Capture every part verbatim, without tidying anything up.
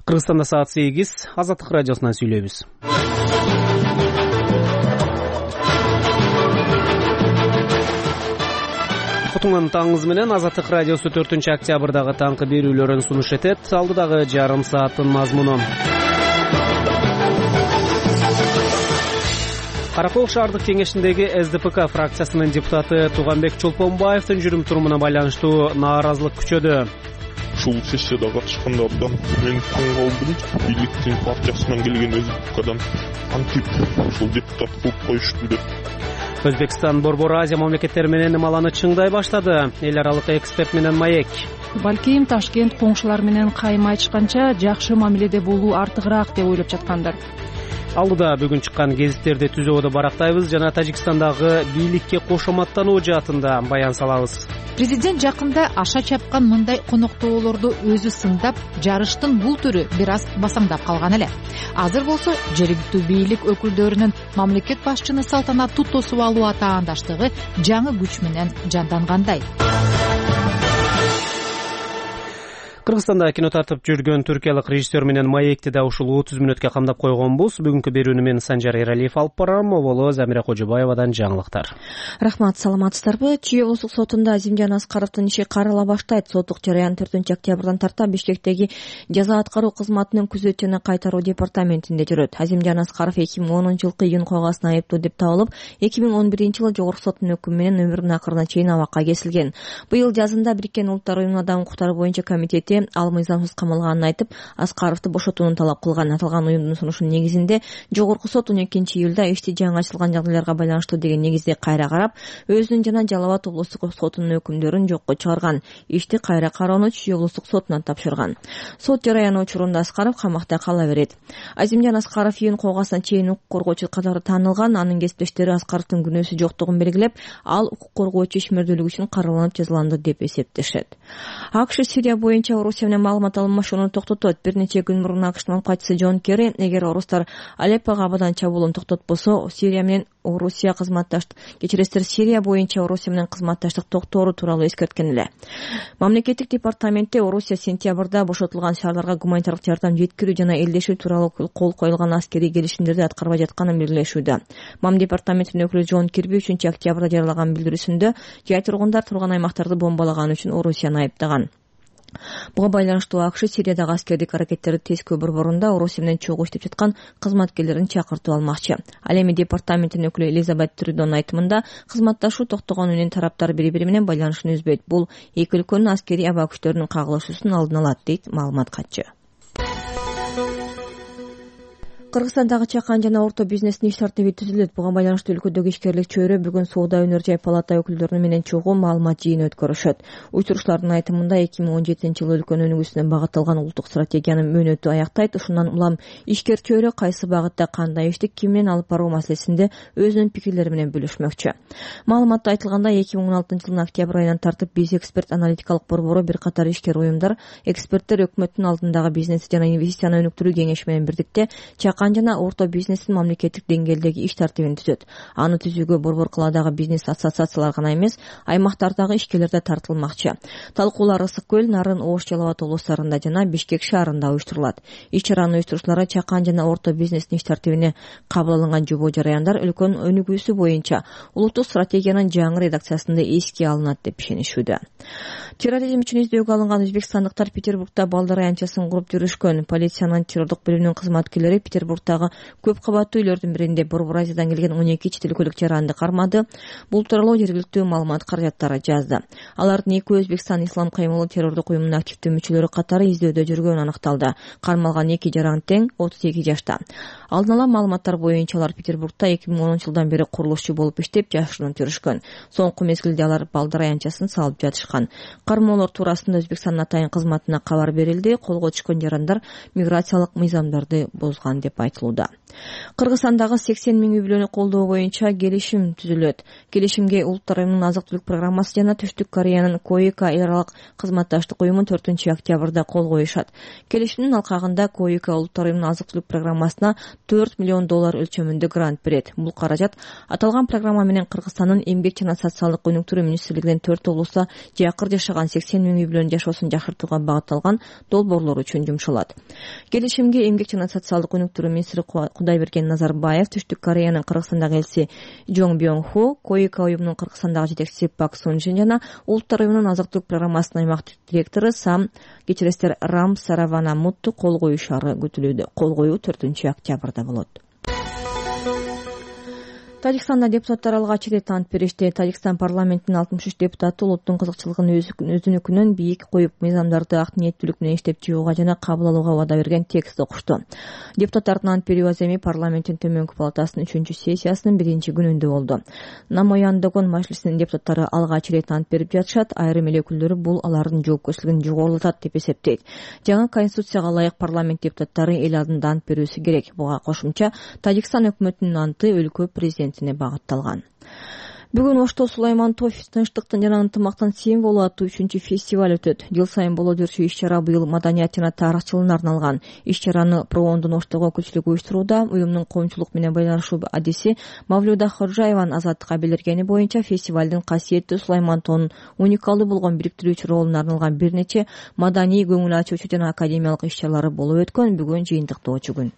Кыргызстанда саат сегиз. Азаттык радиосунан сүйлөйбүз. Кутуңан таңыңыз менен Азаттык радиосу төртүнчү октябрдагы таңкы берүүлөрүн сунуш этет. Алдыдагы жарым сааттын мазмуну. Каракол шаардык кеңешиндеги эс дэ пэ ка фракциясынын депутаты Туганбек Чолпонбаевдин жүрүм-турумуна байланыштуу нааразылык күчөдү. Ушул сессияда катышканда абдан мен таң калдым. Бийликтин партиясынан келген эс дэ пэ кадан антип ушул депутат кылып коюшту деп. Өзбекстан Борбор Азия мамлекеттери менен ымаланы чыңдай баштады. Эл аралык эксперт менен маек. Балким Ташкент коңшулар менен кайым айтышканча жакшы мамиледе болуу артыгыраак деп ойлоп жаткандар. Алдыда бүгүн чыккан гезиттерди түзөөдө барактайбыз жана Тажикстандагы бийликке кошоматтануу жаатында баян салабыз. Президент жакында аша чапкан мындай коноктоолорду өзү сындап, жарыштын бул түрү бир аз басаңдап калган эле. Азыр болсо жергиликтүү бийлик өкүлдөрүнүн мамлекет башчыны салтанаттуу тосуп алуу атаандаштыгы жаңы күч менен жандангандай. Кыргызстанда кино тартып жүргөн түркиялык режиссер менен маекти да ушул отуз мүнөткө камдап койгонбуз. Бүгүнкү берүүнү мен Санжар Эралиев алып барам. Оболо Замира Кожобаевадан жаңылыктар. Рахмат, саламатсыздарбы? Чүй облустук сотунда Азимжан Аскаровдун иши карала баштайт. Соттук жараян төртүнчү октябрдан тарта Бишкектеги жаза аткаруу кызматынын күзөт жана кайтаруу департаментинде жүрөт. Азимжан Аскаров эки миң онунчу жылкы июнь койгасына айыптуу деп табылып, эки миң он биринчи жылы жогорку соттун өкүмү менен өмүрүнүн акырына чейин абакка кесилген. Быйыл жазында Бириккен Улуттар Уюмунун адам укуктары боюнча комитети ал мыйзамсыз камалганын айтып, Аскаровду бошотууну талап кылган. Аталган уюмдун сунушунун негизинде жогорку сот он экинчи июлда ишти жаңы ачылган жагдайларга байланыштуу деген негизде кайра карап, өзүнүн жана Жалал Абад облустук сотунун өкүмдөрүн жокко чыгарган. Ишти кайра кароону Чүй облустук сотуна тапшырган. Сот жараяны учурунда Аскаров камакта кала берет. Азимжан Аскаров июнь койгасына чейин укук коргоочу катары таанылган. Анын кесиптештери Аскаровдун күнөөсү жоктугун белгилеп, ал укук коргоочу ишмердүүлүгү үчүн караланып жазаланды деп эсептешет. АКШ Сирия боюнча Орусия менен маалымат алмашууну токтотот. Бир нече күн мурун АКШтын макчысы Джон Керри, эгер орустар Алеппого абадан чабуулун токтотпосо, Сирия менен Орусия кызматташтык кечиресиздер Сирия боюнча Орусия менен кызматташтык токтоору тууралуу эскерткен эле. Мамлекеттик департаментте Орусия сентябрда бошотулган шаарларга гуманитардык жардам жеткирүү жана элдешүү тууралуу кол коюлган аскерий келишимдерди аткарбай жатканын белгилешүүдө. Мам департаментинин өкүлү Джон Кирби үчүнчү октябрда жарыялаган билдирүүсүндө жай тургундар турган аймактарды бомбалаган үчүн Орусияны айыптаган. Буга байланыштуу АКШ Сириядагы аскердик аракеттерди тескөө борборунда Орусия менен чогуу иштеп жаткан кызматкерлерин чакыртып алмакчы. Ал эми департаменттин өкүлү Элизабет Трюдонун айтымында, кызматташуу токтогону менен тараптар бири-бири менен байланышын үзбөйт. Бул эки өлкөнүн аскерий аба күчтөрүнүн кагылышуусун алдын алат, дейт маалымат катчы. Кыргызстандагы чакан жана орто бизнестин иш тартиби түзүлөт. Буга байланыштуу өлкөдөгү ишкерлик чөйрө бүгүн Соода өнөр жай палата өкүлдөрү менен чогуу маалымат жыйыны өткөрүшөт. Учурчулардын айтымында эки миң он жетинчи жылы өлкөнүн өнүгүүсүнө багытталган улуттук стратегиянын мөөнөтү аяктайт. Ушундан улам ишкер чөйрө кайсы багытта кандай ишти ким менен алып баруу маселесинде өзүнүн пикирлери менен бөлүшмөкчү. Маалыматта айтылгандай, эки миң он алтынчы жылдын октябрь айынан тартып биз эксперт аналитикалык борбору бир катар ишкер уюмдар, эксперттер өкмөттүн алдындагы бизнес жана инвестицияны өнүктүрүү кеңеши менен бирдикте чакан жана орто бизнестин мамлекеттик деңгээлдеги иш тартибин түзөт. Аны түзүүгө борбор калаадагы бизнес ассоциациялар гана эмес, аймактардагы ишкерлер да тартылмакчы. Талкуулар Ысык көл, Нарын, Ош, Жалал Абад облустарында жана Бишкек шаарында уюштурулат. Иш чаранын уюштуруучулары чакан жана орто бизнестин иш тартибине кабыл алынган жобо жараяндар өлкөнүн өнүгүүсү боюнча улуттук стратегиянын жаңы редакциясында эске алынат деп ишенишүүдө. Терроризм үчүн издөөгө алынган өзбекстандыктар Петербургда балдар аянтчасын куруп жүрүшкөн. Полициянын террордук бөлүмүнүн кызматкерлери Петербургдагы көп кабаттуу үйлөрдүн биринде Борбор Азиядан келген он эки чет өлкөлүк жаранды кармады. Бул тууралуу жергиликтүү маалымат каражаттары жазды. Алардын экөө Өзбекстан Ислам каймылы террордук уюмунун активдүү мүчөлөрү катары издөөдө жүргөнү аныкталды. Кармалган эки жаран тең отуз эки жашта. Алдын ала маалыматтар боюнча алар Петербургда эки миң онунчу жылдан бери курулушчу болуп иштеп, жашырынып жүрүшкөн. Соңку мезгилде алар балдар аянтчасын салып жатышкан. Кармоолор туурасында Өзбекстандын атайын кызматына кабар берилди. Колго түшкөн жарандар миграциялык мыйзамдарды бозгон деп деп айтылууда. Кыргызстандагы сексен миң үй бүлөнү колдоо боюнча келишим түзүлөт. Келишимге Улуттар уюмунун азык-түлүк программасы жана Түштүк Кореянын КОИКА эл аралык кызматташтык уюму төртүнчү октябрда кол коюшат. Келишимдин алкагында КОИКА Улуттар уюмунун азык-түлүк программасына төрт миллион доллар өлчөмүндө грант берет. Бул каражат аталган программа менен Кыргызстандын эмгек жана социалдык өнүктүрүү министрлигинин төрт облустта жакыр жашаган сексен миң үй бүлөнүн жашоосун жакшыртууга багытталган долбоорлор үчүн жумшалат. Келишимге эмгек жана социалдык өнүктүрүү министри Кудайберген Назарбаев, Түштүк Кореянын Кыргызстандагы элчиси Жон Бьон Ху, КОИКА уюмунун Кыргызстандагы жетекчиси Пак Сунжин жана Улуттар уюмунун азык-түлүк программасынын аймактык директору Сам кечиресиздер Рам Сараванамутту кол коюшары күтүлүүдө. Кол коюу төртүнчү октябрда болот. Тажикстанда депутаттар алгач ирет ант беришти. Тажикстан парламентинин алтымыш үч депутаты улуттун кызыкчылыгын өзүнүкүнөн бийик коюп, мыйзамдарды ак ниеттүүлүк менен иштеп чыгууга жана кабыл алууга убада берген текст окушту. Депутаттардын ант берүү аземи парламенттин төмөнкү палатасынын үчүнчү сессиясынын биринчи күнүндө болду. Намояндагон мажлисинин депутаттары алгач ирет ант берип жатышат. Айрым эл өкүлдөрү бул алардын жоопкерчилигин жогорулатат деп эсептейт. Жаңы конституцияга ылайык парламент депутаттары эл алдында ант берүүсү керек. Буга кошумча Тажикстан өкмөтүнүн анты өлкө президенти багытталган. Бүгүн Ошто Сулаймантов тынчтыктын жана ынтымактын символу аттуу үчүнчү фестиваль өтөт. Жыл сайын боло жүрчү иш-чара быйыл маданият жана тарых жылына арналган. Иш-чараны Проондун Оштого өкүлчүлүгү уюштурууда. Уюмдун коомчулук менен байланышуу адиси Мавлюда Ходжаеванын азаттыкка билдиргени боюнча фестивалдын касиеттүү Сулаймантовдун уникалдуу болгон бириктирүүчү ролуна арналган бир нече маданий, көңүл ачуучу жана академиялык иш-чаралары болуп өткөн бүгүн жыйынтыктоочу күн.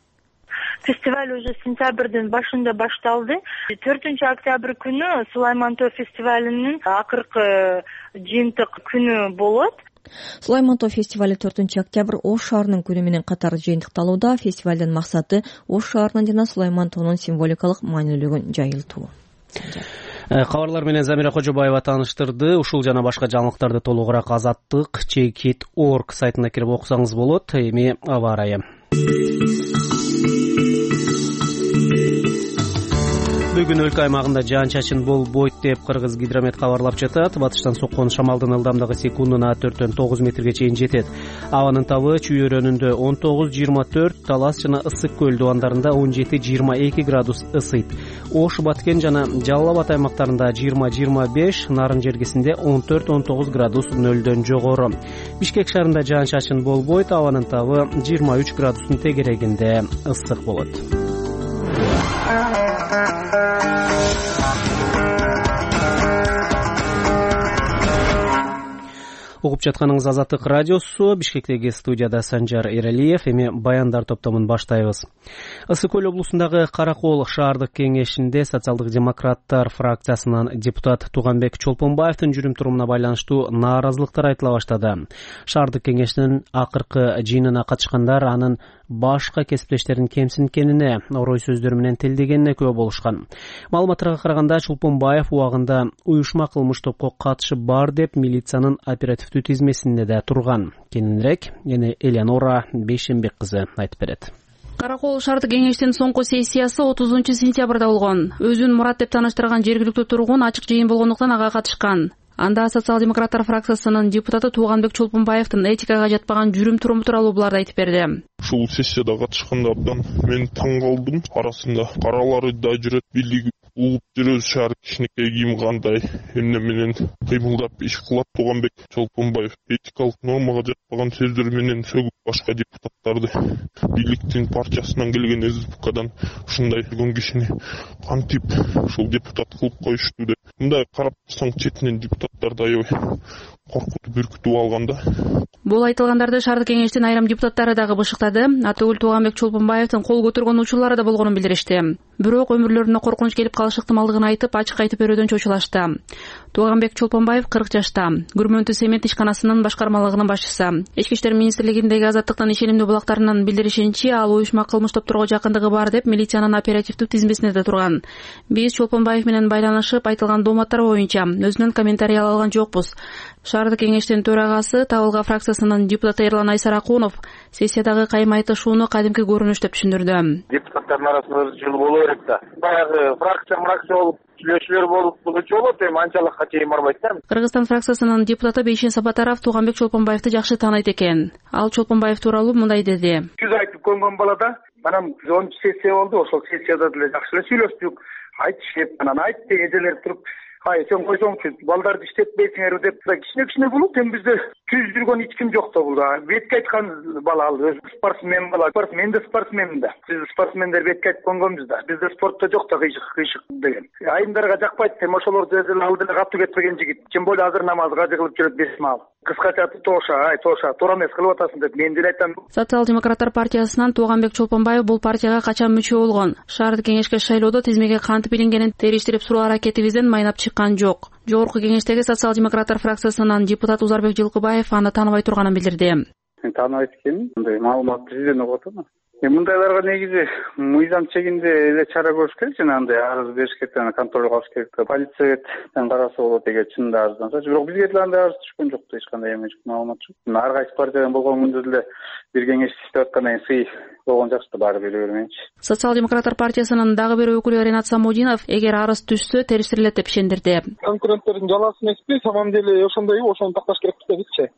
Фестиваль уже сентябрдын башында башталды. төртүнчү октябрь күнү Сулаймантов фестивалынын акыркы жыйынтык күнү болот. Сулаймантов фестивали төртүнчү октябрь Ош шаарынын күнү менен катар жыйынтыкталууда. Фестивалдын максаты Ош шаарынын жана Сулаймантовдун символикалык маанилүүлүгүн жайылтуу. Кабарлар менен Замира Кожобаева тааныштырды. Ушул жана башка жаңылыктарды толугураак азаттык чекит точка орг сайтына кирип окусаңыз болот. Эми аба ырайы. Бүгүн өлкө аймагында жаан-чачын болбойт деп Кыргыз гидромет кабарлап жатат. Батыштан соккон шамалдын ылдамдыгы секундуна төрттөн тогуз метрге чейин жетет. Абанын табы Чүй өрөөнүндө он тогуз жыйырма төрт, Талас жана Ысык көл дубандарында он жети жыйырма эки градус ысыйт. Ош, Баткен жана Жалал Абад аймактарында жыйырма жыйырма беш, Нарын жергесинде он төрт он тогуз градус нөлдөн жогору. Бишкек шаарында жаан-чачын болбойт. Абанын табы жыйырма үч градустун тегерегинде ысык болот. Угуп жатканыңыз Азаттык радиосу. Бишкектеги студияда Санжар Эралиев. Эми баяндар топтомун баштайбыз. Ысык көл облусундагы Каракол шаардык кеңешинде социалдык демократтар фракциясынын депутат Туганбек Чолпонбаевдин жүрүм-турумуна байланыштуу нааразылыктар айтыла баштады. Шаардык кеңештин акыркы жыйынына катышкандар анын башка кесиптештерин кемсинткенине, орой сөздөр менен тилдегенине күбө болушкан. Маалыматтарга караганда Чолпонбаев убагында уюшма кылмыш топко катышы бар деп милициянын оперативдүү тизмесинде да турган. Кененирээк эне Элеонора Бейшенбек кызы айтып берет. Каракол шаардык кеңештин соңку сессиясы отузунчу сентябрда болгон. Өзүн Мурат деп тааныштырган жергиликтүү тургун ачык жыйын болгондуктан ага катышкан. Анда социал-демократтар фракциясынын депутаты Туганбек Чолпонбаевдин этикага жатпаган жүрүм-туруму тууралуу буларды айтып берди. Ушул сессияда катышканда абдан мен таң калдым. Арасында каралары да жүрөт, бийлиги угуп жүрөбүз, шаар кичинекей кийим кандай эмне менен кыймылдап иш кылат. Туганбек Чолпонбаев этикалык нормага жатпаган сөздөр менен сөгүп башка депутаттарды, бийликтин партиясынан келген СДПКдан ушундай болгон кишини кантип ушул депутат кылып коюшту деп. Мындай карап турсаң четинен депутаттарды аябай коркутуп үркүтүп алганда. Бул айтылгандарды шаардык кеңештин айрым депутаттары дагы бышыктады. Атөгүл Туганбек Чолпонбаевдин кол көтөргөн учурлары да болгонун билдиришти. Бирок өмүрлөрүнө коркунуч келип калыш ыктымалдыгын айтып, ачык айтып берүүдөн чочулашты. Туганбек Чолпонбаев кырк жашта, Күрмөнтү Семет ишканасынын башкармалыгынын башчысы. Ички иштер министрлигиндеги азаттыктын ишенимдүү булактарынын билдиришинче, ал уюшма кылмыш топторго жакындыгы бар деп милициянын оперативдүү тизмесинде да турган. Биз Чолпонбаев менен байланышып, айтылган дооматтар боюнча өзүнөн комментарий ала алган жокпуз. Шаардык кеңештин төрагасы Табылга фракциясынын депутаты Эрлан Айсаракунов сессиядагы кайым айтышууну кадимки көрүнүш деп түшүндүрдү. Депутаттардын арасында жыл боло берет да. Баягы фракция фракция болуп сүйлөшүүлөр болуп булчу болот, эми анчалыкка чейин барбайт да. Кыргызстан фракциясынын депутаты Бейшен Сапатаров Туганбек Чолпонбаевди жакшы тааныйт экен. Ал Чолпонбаев тууралуу мындай деди. Жүз айтып көнгөн балада Анан онунчу сессия болду, ошол сессияда деле жакшы эле сүйлөштүк. Айтышып, анан айтты эжелер туруп, ай сен койсоңчу, балдарды иштетпейсиңерби деп, кичине кичине болот. Эми бизде түз жүргөн эч ким жок да бул. Бетке айткан бала ал өзү спортсмен бала. Мен да спортсменмин да. Биз спортсмендер бетке айтып койгонбуз да. Бизде спортто жок да кыйшык кыйшык деген. Айымдарга жакпайт, эми ошолор деле ал деле катуу кетпеген жигит. Тем более азыр намазга жыгылып жүрөт беш маал. Кыскача тоша, ай тоша, туура эмес кылып атасың деп мен деле айтам. Социал-демократтар партиясынан Тууганбек Чолпонбаев бул партияга качан мүчө болгон? Шаардык кеңешке шайлоодо тизмеге кантип илингенин териштирип суроо аракетибизден майнап чыккан жок. Жогорку кеңештеги социал-демократтар фракциясынан депутат Узарбек Жылкыбаев аны тааныбай турганын билдирди. Мен тааныбайт экенмин, мындай маалыматты сизден угуп атам. Эми мындайларга негизи мыйзам чегинде эле чара көрүш керек жана андай арыз бериш керек, аны контролго алыш керек. Полициядан караса болот эгер чынында арызданса. Бирок бизге деле андай арыз түшкөн жок да, эч кандай эме маалымат жок. Ар кайсы партиядан болгон күндө деле бир кеңеш иштеп аткандан кийин сый болгон жакшы да, баары бере бермейинчи. Социал-демократтар партиясынын дагы бир өкүлү Ренат Самудинов эгер арыз түшсө териштирилет деп ишендирди. Конкуренттердин жалаасы эмеспи, самом деле ошондойбу, ошону такташ керек депчи.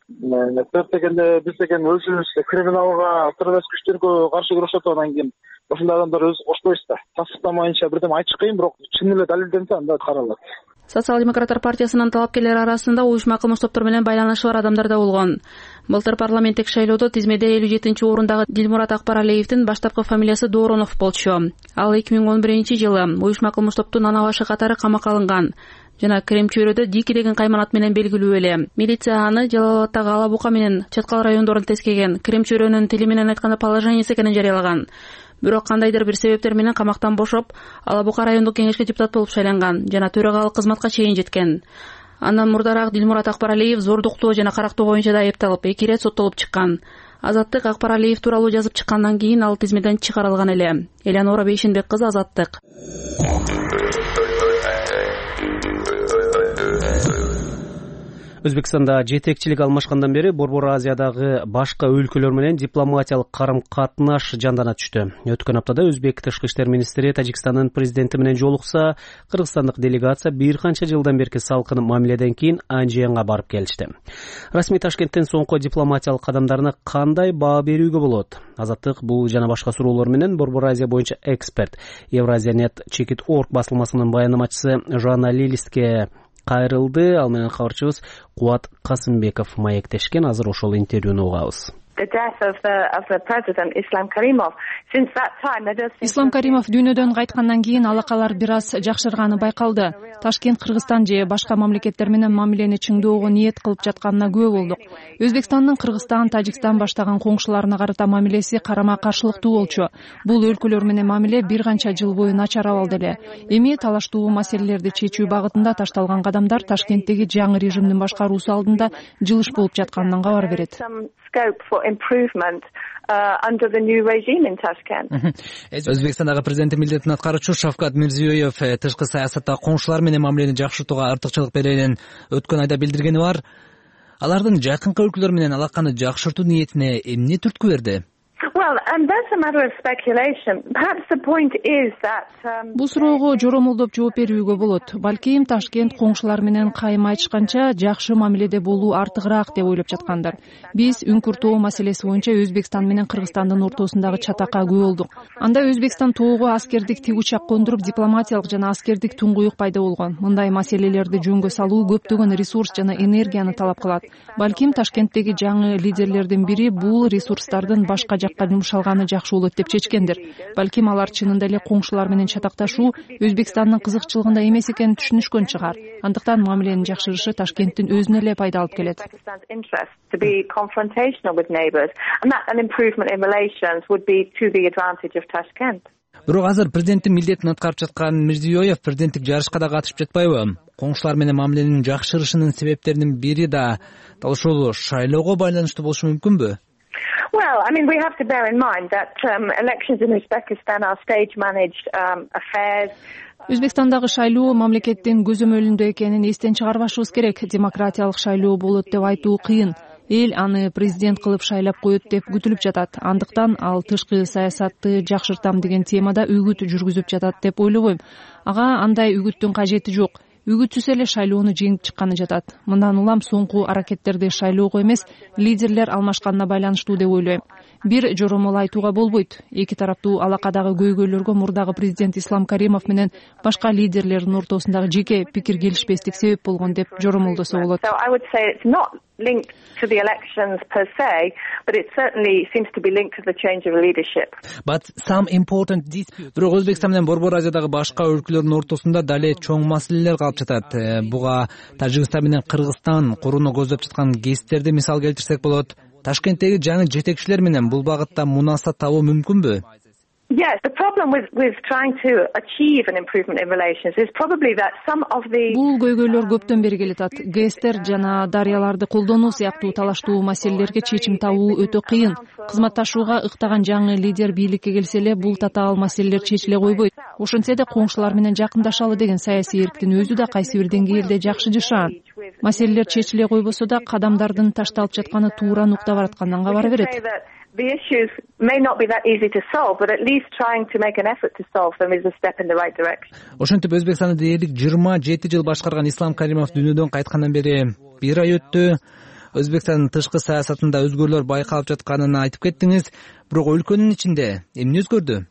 Төрт дегенде биз деген өзүбүз криминалга, террорист күчтөргө каршы күрөшөт, анан кийин ошондой адамдар өзү кошпойбуз да. Тасдыктамайынча бирдем айтыш кыйын, бирок чын эле далилденсе анда каралат. Социал-демократтар партиясынын талапкерлери арасында уюшма кылмыш топтор менен байланышы бар адамдар да болгон. Былтыр парламенттик шайлоодо тизмеде элүү жетинчи орундагы Дилмурат Акбаралиевдин баштапкы фамилиясы Дооронов болчу. Ал эки миң он биринчи жылы уюшма кылмыш топтун ана башы катары камакка алынган жана Кремчөөрөдө Дики деген кайман ат менен белгилүү эле. Милиция аны Жалал Абадтагы Ала Бука менен Чаткал райондорун тескеген, Кремчөөрөнүн тили менен айтканда положениясы экенин жарыялаган. Бирок кандайдыр бир себептер менен камактан бошоп, Ала Бука райондук кеңешке депутат болуп шайланган жана төрагалык кызматка чейин жеткен. Андан мурдараак Дилмурат Акбаралиев зордуктоо жана карактоо боюнча да айыпталып, эки ирет соттолуп чыккан. Азаттык Акбаралиев тууралуу жазып чыккандан кийин ал тизмеден чыгарылган эле. Элеонора Бейшенбек кызы, Азаттык. Өзбекстанда жетекчилик алмашкандан бери Борбор Азиядагы башка өлкөлөр менен дипломатиялык карым-катнаш жандана түштү. Өткөн аптада Өзбек тышкы иштер министри Тажикстандын президенти менен жолукса, кыргызстандык делегация бир канча жылдан берки салкын мамиледен кийин Анжиянга барып келишти. Расмий Ташкенттен соңку дипломатиялык кадамдарына кандай баа берүүгө болот? Азаттык бул жана башка суроолор менен Борбор Азия боюнча эксперт, Евразиянет чекит орг басылмасынын баянамачысы Жоанна Лилиске кайрылды. Ал менен кабарчыбыз Кубат Касымбеков маектешкен. Азыр ошол интервьюну угабыз. Ислам Каримов дүйнөдөн кайткандан кийин алакалар бир аз жакшырганы байкалды. Ташкент Кыргызстан же башка мамлекеттер менен мамилени чыңдоого ниет кылып жатканына күбө болдук. Өзбекстандын Кыргызстан, Тажикстан баштаган коңшуларына карата мамилеси карама каршылыктуу болчу. Бул өлкөлөр менен мамиле бир канча жыл бою начар абалда эле. Эми талаштуу маселелерди чечүү багытында ташталган кадамдар Ташкенттеги жаңы режимдин башкаруусу алдында жылыш болуп жатканынан кабар берет. Өзбекстандагы президенттин милдетин аткаруучу Шавкат Мирзиёев тышкы саясатта коңшулар менен мамилени жакшыртууга артыкчылык берерин өткөн айда билдиргени бар. Алардын жакынкы өлкөлөр менен алаканы жакшыртуу ниетине эмне түрткү берди? Бул суроого жоромолдоп жооп берүүгө болот. Балким Ташкент коңшулар менен кайым айтышканча жакшы мамиледе болуу артыгыраак деп ойлоп жаткандар. Биз Үңкүр тоо маселеси боюнча Өзбекстан менен Кыргызстандын ортосундагы чатакка күбө болдук. Анда Өзбекстан тоого аскердик тик учак кондуруп, дипломатиялык жана аскердик туңгуюк пайда болгон. Мындай маселелерди жөнгө салуу көптөгөн ресурс жана энергияны талап кылат. Балким Ташкенттеги жаңы лидерлердин бири бул ресурстардын башка жакка жумшалганы жакшы болот деп чечкендир. Балким алар чынында эле коңшулар менен чатакташуу Өзбекстандын кызыкчылыгында эмес экенин түшүнүшкөн чыгар. Андыктан мамиленин жакшырышы Ташкенттин өзүнө эле пайда алып келет. Бирок азыр президенттин милдетин аткарып жаткан Мирзиёев президенттик жарышка да катышып жатпайбы? Коңшулар менен мамиленин жакшырышынын себептеринин бири да дал ушул шайлоого байланыштуу болушу мүмкүнбү? Well, I mean, we have to bear in mind that um, elections in Uzbekistan are stage-managed um, affairs. Өзбекстандагы шайлоо мамлекеттин көзөмөлүндө экенин эстен чыгарбашыбыз керек. Демократиялык шайлоо болот деп айтуу кыйын. Эл аны президент кылып шайлап коет деп күтүлүп жатат. Андыктан ал тышкы саясатты жакшыртам деген темада үгүт жүргүзүп жатат деп ойлобойм. Ага андай үгүттүн кажети жок. үгүтсүз эле шайлоону жеңип чыкканы жатат. Мындан улам соңку аракеттерди шайлоого эмес, лидерлер алмашканына байланыштуу деп ойлойм. Бир жоромол айтууга болбойт. Эки тараптуу алакадагы көйгөйлөргө мурдагы президент Ислам Каримов менен башка лидерлердин ортосундагы жеке пикир келишпестик себеп болгон деп жоромолдосо болот. Linked to the elections per se, but it certainly seems to be linked to the change of leadership. But some important disputes. Бирок Өзбекстан менен Борбор Азиядагы башка өлкөлөрдүн ортосунда дале чоң маселелер калып жатат. Буга Тажикстан менен Кыргызстан курууну көздөп жаткан гестерди мисал келтирсек болот. Ташкенттеги жаңы жетекчилер менен бул багытта мунасат табуу мүмкүнбү? Yes, the problem with with trying to achieve an improvement in relations is probably that some of the Бул көйгөйлөр көптөн бери келатат. Гестер жана дарыяларды колдонуу сыяктуу талаштуу маселелерге чечим табуу өтө кыйын. Кызматташууга ыктаган жаңы лидер бийликке келсе эле бул татаал маселелер чечиле койбойт. Ошентсе да коңшулар менен жакындашалы деген саясий эрктин өзү да кайсы бир деңгээлде жакшы жашаан. Маселелер чечиле койбосо да кадамдардын ташталып жатканы туура нукта бараткандан кабар берет. The issues may not be that easy to solve, but at least trying to make an effort to solve them is a step in the right direction. Ошентип Өзбекстанды дээрлик жыйырма жети жыл башкарган Ислам Каримов дүйнөдөн кайткандан бери бир ай өттү. Өзбекстандын тышкы саясатында өзгөрүүлөр байкалып жатканын айтып кеттиңиз, бирок өлкөнүн ичинде эмне өзгөрдү?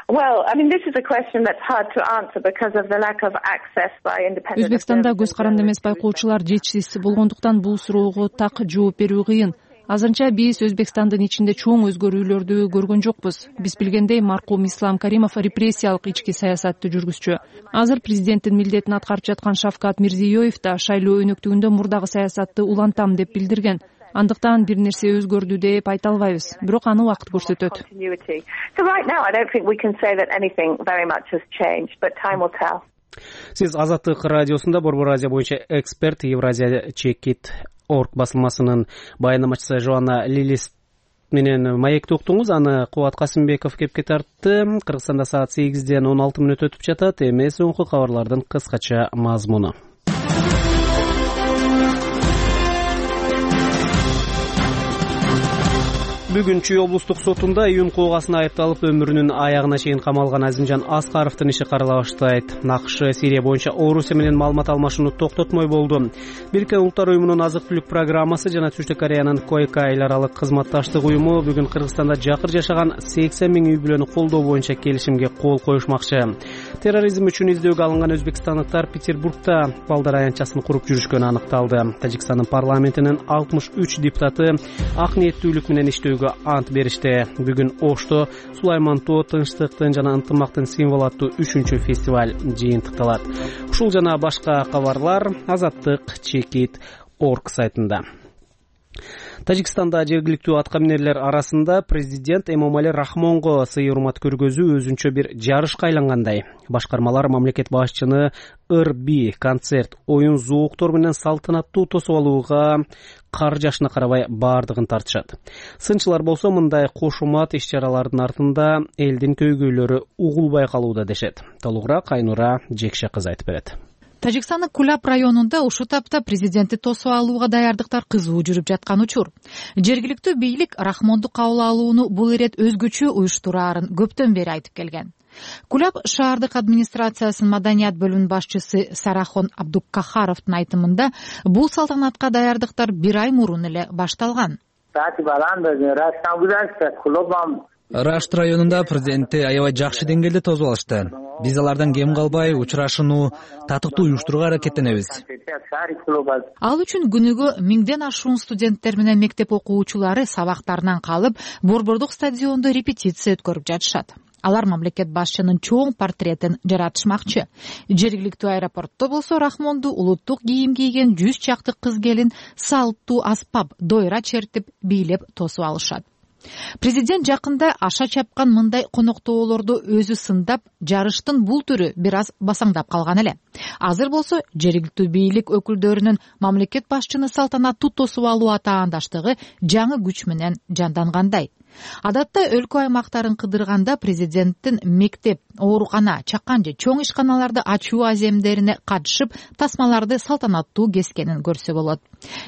Well, I mean, this is a question that's hard to answer because of the lack of access by independent. Өзбекстанда көз каранды эмес байкоочулар жетишсиз болгондуктан бул суроого так жооп берүү кыйын. Азырынча биз Өзбекстандын ичинде чоң өзгөрүүлөрдү көргөн жокпуз. Биз билгендей, маркум Ислам Каримов репрессиялык ички саясатты жүргүзчү. Азыр президенттин милдетин аткарып жаткан Шавкат Мирзиёев да шайлоо өнөктүгүндө мурдагы саясатты улантам деп билдирген. Андыктан бир нерсе өзгөрдү деп айта албайбыз, бирок аны убакыт көрсөтөт. Сиз Азаттык радиосунда Борбор Азия боюнча эксперт Евразия Чекит Орг басылмасынын баяндамачысы Жоанна Лилис менен маекти уктуңуз. Аны Кубат Касымбеков кепке тартты. Кыргызстанда саат сегизден он алты мүнөт өтүп жатат. Эми соңку кабарлардын кыскача мазмуну. Бүгүн Чүй облустук сотунда июн куугасына айыпталып өмүрүнүн аягына чейин камалган Азимжан Аскаровдун иши карала баштайт. НАКШ Сирия боюнча Орусия менен маалымат алмашууну токтотмой болду. Бириккен Улуттар уюмунун азык-түлүк программасы жана Түштүк Кореянын Койка эл аралык кызматташтык уюму бүгүн Кыргызстанда жакыр жашаган сексен миң үй бүлөнү колдоо боюнча келишимге кол коюшмакчы. Терроризм үчүн издөөгө алынган өзбекстандыктар Петербургда балдар аянтчасын куруп жүрүшкөнү аныкталды. Тажикстандын парламентинин алтымыш үч депутаты ак ниеттүүлүк менен иштөөгө ант беришти. Бүгүн Ошто Сулаймантоо тынчтыктын жана ынтымактын символу аттуу үчүнчү фестиваль жыйынтыкталат. Ушул жана башка кабарлар Азаттык Чекит Орг сайтында. Тажикстанда жергиликтүү атка минерлер арасында президент Эмомали Рахмонго сый урмат көргөзүү өзүнчө бир жарышка айлангандай. Башкармалар мамлекет башчыны ыр-би, концерт, оюн зооктор менен салтанаттуу тосуп алууга кар жашына карабай баардыгын тартышат. Сынчылар болсо мындай кошумат иш-чаралардын артында элдин көйгөйлөрү угулбай калууда дешет. Толугураак Айнура Жекше кыз айтып берет. Тажикстандын Кулап районунда ушул тапта президентти тосуп алууга даярдыктар кызуу жүрүп жаткан учур. Жергиликтүү бийлик Рахмонду кабыл алууну бул ирет өзгөчө уюштураарын көптөн бери айтып келген. Кулап шаардык администрациясынын маданият бөлүмүнүн башчысы Сарахон Абдуккахаровдун айтымында бул салтанатка даярдыктар бир ай мурун эле башталган. Рашт районунда президентти аябай жакшы деңгээлде тосуп алышты. Биз алардан кем калбай учурашууну татыктуу уюштурууга аракеттенебиз. Ал үчүн күнүгө миңден ашуун студенттер менен мектеп окуучулары сабактарынан калып, борбордук стадиондо репетиция өткөрүп жатышат. Алар мамлекет башчынын чоң портретин жаратышмакчы. Жергиликтүү аэропортто болсо Рахмонду улуттук кийим кийген жүз чакты кыз келин салттуу аспап, дойра чертип, бийлеп тосуп алышат. Президент жакында аша чапкан мындай коноктоолорду өзү сындап, жарыштын бул түрү бир аз басаңдап калган эле. Азыр болсо жергиликтүү бийлик өкүлдөрүнүн мамлекет башчыны салтанаттуу тосуп алуу атаандаштыгы жаңы күч менен жандангандай. Адатта өлкө аймактарын кыдырганда президенттин мектеп, оорукана, чакан же чоң ишканаларды ачуу аземдерине катышып, тасмаларды салтанаттуу кескенин көрсө болот.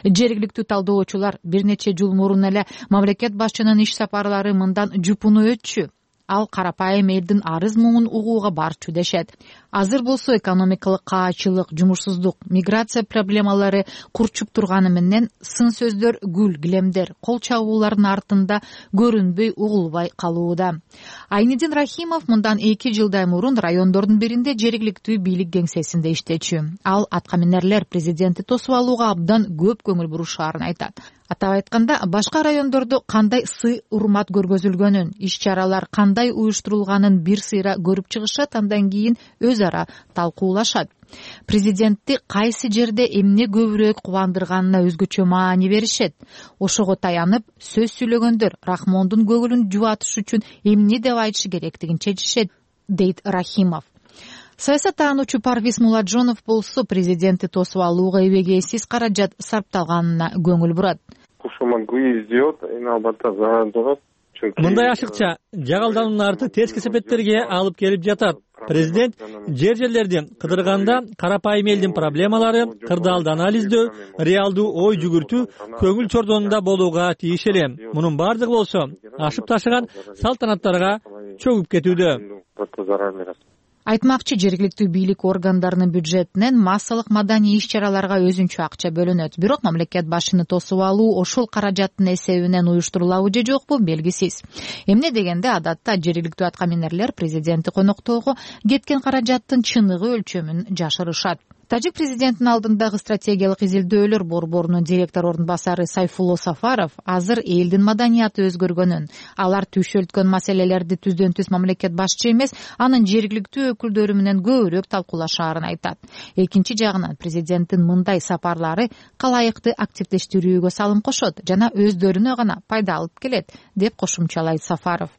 Жергиликтүү талдоочулар бир нече жыл мурун эле мамлекет башчынын иш сапарлары мындан жупуну өтчү. ал карапайым элдин арыз муңун угууга барчу дешет. Азыр болсо экономикалык каачылык, жумушсуздук, миграция проблемалары курчуп турганы менен сын сөздөр, гүл гилемдер, кол чабуулардын артында көрүнбөй, угулбай калууда. Айнидин Рахимов мындан эки жылдай мурун райондордун биринде жергиликтүү бийлик кеңсесинде иштечү. Ал атка минерлер президентти тосуп алууга абдан көп көңүл бурушаарын айтат. Атап айтканда, башка райондордо кандай сый урмат көргөзүлгөнүн, иш-чаралар кандай уюштурулганын бир сыйра көрүп чыгышат, андан кийин өз ара талкуулашат. Президентти кайсы жерде эмне көбүрөөк кубандырганына өзгөчө маани беришет. Ошого таянып, сөз сүйлөгөндөр Рахмондун көңүлүн жубатыш үчүн эмне деп айтышы керектигин чечишет, дейт Рахимов. Саясаттануучу Парвиз Муладжонов болсо президентти тосуп алууга эбегейсиз каражат сарпталганына көңүл бурат. Мындай ашыкча жагалдануунун арты тески себептерге алып келип жатат. Президент жер жерлерди кыдырганда карапайым элдин проблемалары, кырдаалды анализдөө, реалдуу ой жүгүртүү көңүл чордонунда болууга тийиш эле. Мунун бардыгы болсо ашып ташыган салтанаттарга чөгүп кетүүдө. Айтмакчы, жергиликтүү бийлик органдарынын бюджетинен массалык маданий иш-чараларга өзүнчө акча бөлүнөт. Бирок мамлекет башчыны тосуп алуу ошол каражаттын эсебинен уюштурулабы же жокпу белгисиз. Эмне дегенде, адатта жергиликтүү атка минерлер президентти коноктоого кеткен каражаттын чыныгы өлчөмүн жашырышат. Тажик президентинин алдындагы стратегиялык изилдөөлөр борборунун директор орун басары Сайфулло Сафаров азыр элдин маданияты өзгөргөнүн, алар түйшөлткөн маселелерди түздөн түз мамлекет башчы эмес, анын жергиликтүү өкүлдөрү менен көбүрөөк талкуулашаарын айтат. Экинчи жагынан президенттин мындай сапарлары калайыкты активдештирүүгө салым кошот жана өздөрүнө гана пайда алып келет, деп кошумчалайт Сафаров.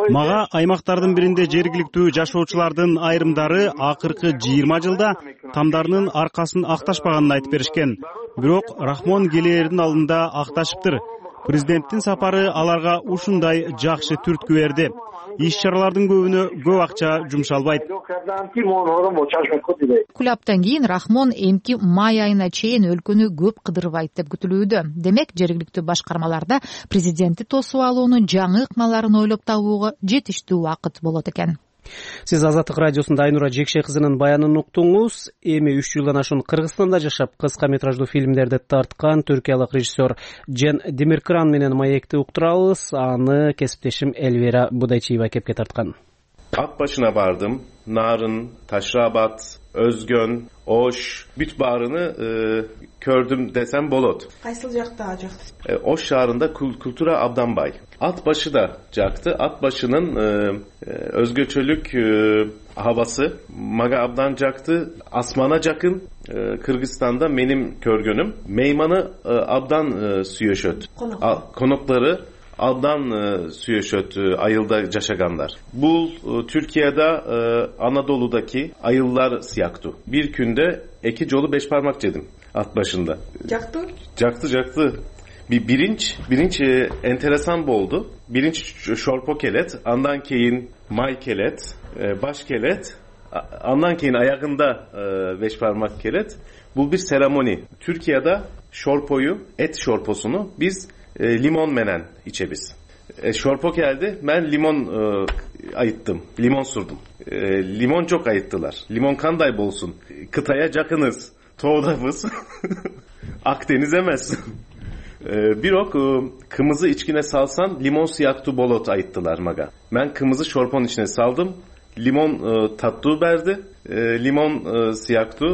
Мага аймактардын биринде жергиликтүү жашоочулардын айрымдары акыркы жыйырма жылда тамдарынын аркасын акташпаганын айтып беришкен. Бирок Рахмон келээрдин алдында акташыптыр. Президенттин сапары аларга ушундай жакшы түрткү берди. Иш-чаралардын көбүнө көп акча жумшалбайт. Кулаптан кийин Рахмон эмки май айына чейин өлкөнү көп кыдырбайт деп күтүлүүдө. Демек, жергиликтүү башкармаларда президентти тосуп алуунун жаңы ыкмаларын ойлоп табууга жетиштүү убакыт болот экен. Сиз Азаттык радиосунда Айнура Жекше кызынын баянын уктуңуз. Эми үч жылдан ашуун Кыргызстанда жашап, кыска метраждуу фильмдерди тарткан түркиялык режиссер Джен Демиркран менен маекти уктурабыз. Аны кесиптешим Элвира Будайчиева кепке тарткан. Ак başına bardım. Narın, Taşrabat, Özgön, Oş, büt bağrını e, kördüm desem bolot. Kaysıl jakta ajaktı? E, Oş şahrında Kultura Abdanbay. At başı da caktı. At başının e, e, özgöçölük e, havası. Maga Abdan caktı. Asmana jakın e, Kırgızistan'da benim körgönüm. Meymanı e, Abdan e, süyeşöt. Konukları. Konukları Abdan e, süyeşöt e, ayılda caşaganlar. Bu e, Türkiye'de e, Anadolu'daki ayıllar siyaktu. Bir günde iki colu beş parmak yedim at başında. Caktı? Caktı caktı. Bir birinç, birinç e, enteresan boldu. Birinç şorpo kelet, andan keyin may kelet, e, baş kelet, andan keyin ayağında e, beş parmak kelet. Bu bir seremoni. Türkiye'de şorpoyu, et şorposunu biz E, limon menen içebiz. E, şorpo geldi, ben limon e, ayıttım, limon surdum. E, limon çok ayıttılar. Limon kanday bolsun. Kıtaya jakınız, toğdabız. Akdeniz emez. e, bir ok e, kımızı içkine salsan limon siyaktu bolot ayıttılar maga. Ben kımızı şorpon içine saldım. Limon e, tatlı verdi. E, limon e, siyaktu.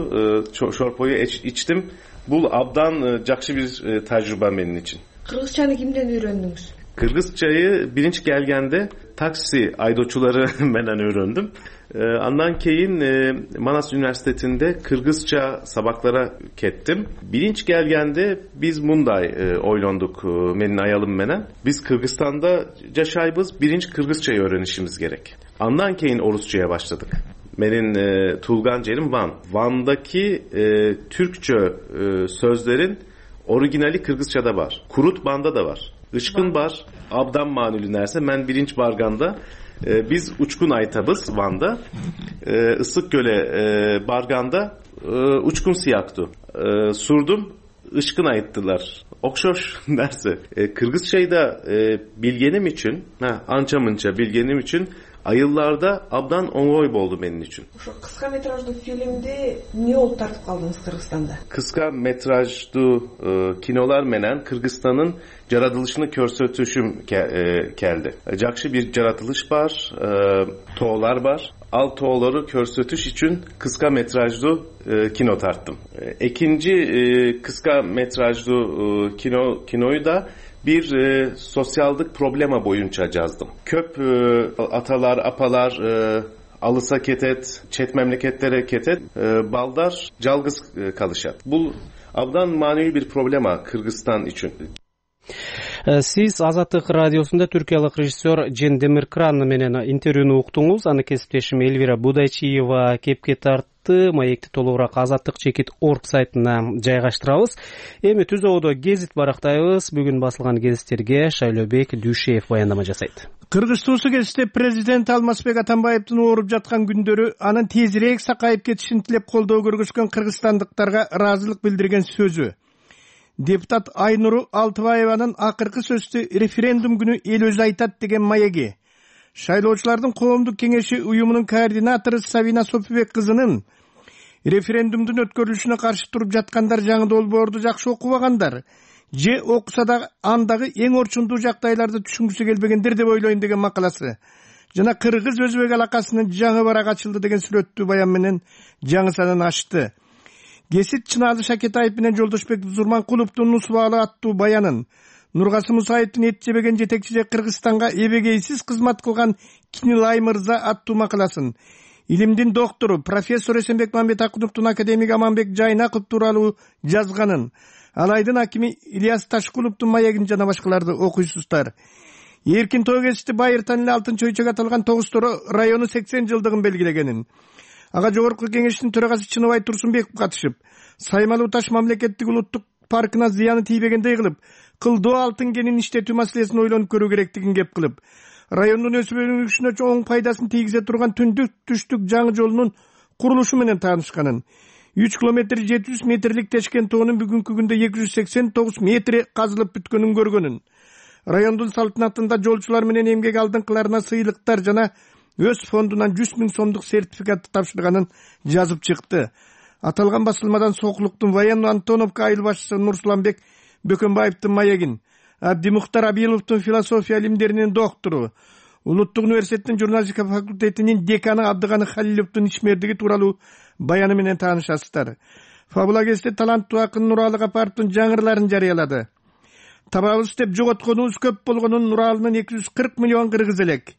E, şorpoyu iç, içtim. Bu abdan e, jakşı bir e, tecrübe benim için. Kırgızçanı kimden öğrendiniz? Kırgızçayı birinci gelgende taksi aydoçuları menen öğrendim. Ee, andan keyin e, Manas Üniversitesi'nde Kırgızça sabaklara kettim. Birinci gelgende biz munday e, oylonduk e, menin ayalım menen. Biz Kırgızistan'da yaşaybız birinci Kırgızçayı öğrenişimiz gerek. Andan keyin Orusça'ya başladık. Benim e, Tulgan Cerim Van. Van'daki e, Türkçe e, sözlerin orijinali Kırgızça'da var. Kurut Ban'da da var. Işkın bar, Abdan manülü nerse, men birinci barganda. E, biz uçkun aytabız Van'da. E, Isık Göle e, barganda e, uçkun siyaktu. E, surdum, ышкын айттылар. Окшош нерсе. Kırgızçayı da e, bilgenim için, ha, ança mınça bilgenim için ayıllarda abdan oңой болду benim için. Ошо кыска метраждуу фильмди эмне болуп тартып калдыңыз Кыргызстанда? Kıska metrajlı e, kinolar menen Kırgızstan'ın yaratılışını körsötüşüm ke, e, geldi. Jakşı bir yaratılış var, e, toğlar var. Al toğları körsötüş için kıska metrajlı e, kino tarttım. E, ikinci e, kıska metrajlı e, kino kinoyu da bir e, sosyallık problema boyunca yazdım. Köp e, atalar, apalar, e, alısa ketet, çet memleketlere ketet, e, baldar, calgız e, kalışat. Bu abdan manevi bir problema Kırgızstan için. Сиз Азаттык радиосунда түркиялык режиссер Жен Демиркран менен интервьюну уктуңуз. Аны кесиптешим Элвира Будайчиева кепке тартты. Маекти толугураак азаттык чекит точка орг сайтына жайгаштырабыз. Эми түзөөдө гезит барактайбыз. Бүгүн басылган гезиттерге Шайлообек Дүйшеев баяндама жасайт. Кыргыз суусу кезиште президент Алмазбек Атамбаевдин ооруп жаткан күндөрү анын тезирээк сакайып кетишин тилеп колдоо көргөзгөн кыргызстандыктарга ыраазылык билдирген сөзү. Депутат Айнуру Алтыбаеванын акыркы сөзү референдум күнү эл өзү айтат деген маеги. Шайлоочулардын коомдук кеңеши уюмунун координатору Сабина Сопибек кызынын референдумдун өткөрүлүшүнө каршы туруп жаткандар жаңы долбоорду жакшы окубагандар, же окуса да андагы эң орчундуу жагдайларды түшүнгүсү келбегендер деп ойлойм деген макаласы жана кыргыз өзбек алакасынын жаңы барак ачылды деген сүрөттүү баян менен жаңы санын ачты. Гесит Чыназы Шакетаев менен Жолдошбек Зурманкуловдун Нусубалы аттуу баянын, Нургасы Мусаевдин эт жебеген жетекчиси Кыргызстанга эбегейсиз кызмат кылган Кинилай мырза аттуу макаласын, илимдин доктору профессор Эсенбек Мамбетакуновдун академик Аманбек Жайнаков тууралуу жазганын, Алайдын акими Ильяс Ташкуловдун маегин жана башкаларды окуйсуздар. Эркин Тогести Байыртан эле алтынчы өйчөгө аталган Тогуз-Торо району сексен жылдыгын белгилегенин, ага жогорку кеңештин төрагасы Чыныбай Турсунбеков катышып, Саймалуу таш мамлекеттик улуттук паркына зыяны тийбегендей кылып, кылдоо алтын кенин иштетүү маселесин ойлонуп көрүү керектигин кеп кылып, райондун өсүп өнүгүшүнө чоң пайдасын тийгизе турган түндүк түштүк жаңы жолунун курулушу менен таанышканын, үч километр жети жүз метрлик Тешкен тоонун бүгүнкү күндө эки жүз сексен тогуз метри казылып бүткөнүн көргөнүн, райондун салтанатында жолчулар менен эмгек алдыңкыларына сыйлыктар жана өз фондунан жүз миң сомдук сертификатты тапшырганын жазып чыкты. Аталган басылмадан Сокулуктун военно Антоновка айыл башчысы Нурсуланбек Бөкөнбаевдин маегин, Абдимухтар Абиловдун философия илимдеринин доктору, Улуттук университеттин журналистика факультетинин деканы Абдыганы Халиловдун ишмердиги тууралуу баяны менен таанышасыздар. Фабула кезде таланттуу акын Нуралы Капаровдун жаңырларын жарыялады. Табабыз деп жоготконубуз көп болгонун Нуралынын эки жүз кырк миллион кыргыз элек.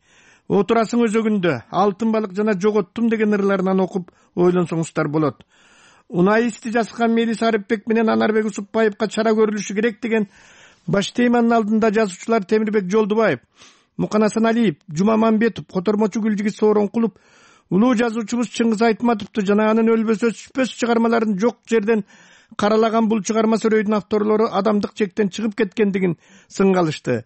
Отурасың өзөгүндө алтын балык жана жоготтум деген ырларынан окуп ойлонсоңуздар болот. Унаисти жазган Мелис Арыпбек менен Анарбек Усупбаевга чара көрүлүшү керек деген баш теманын алдында жазуучулар Темирбек Жолдубаев, Муканасан Алиев, Жума Мамбетов, Котормочу Гүлжигит Сооронкулов, улуу жазуучубуз Чыңгыз Айтматовду жана анын өлбөс өчпөс чыгармаларын жок жерден каралаган бул чыгарма сөрөйдүн авторлору адамдык чектен чыгып кеткендигин сынгалышты.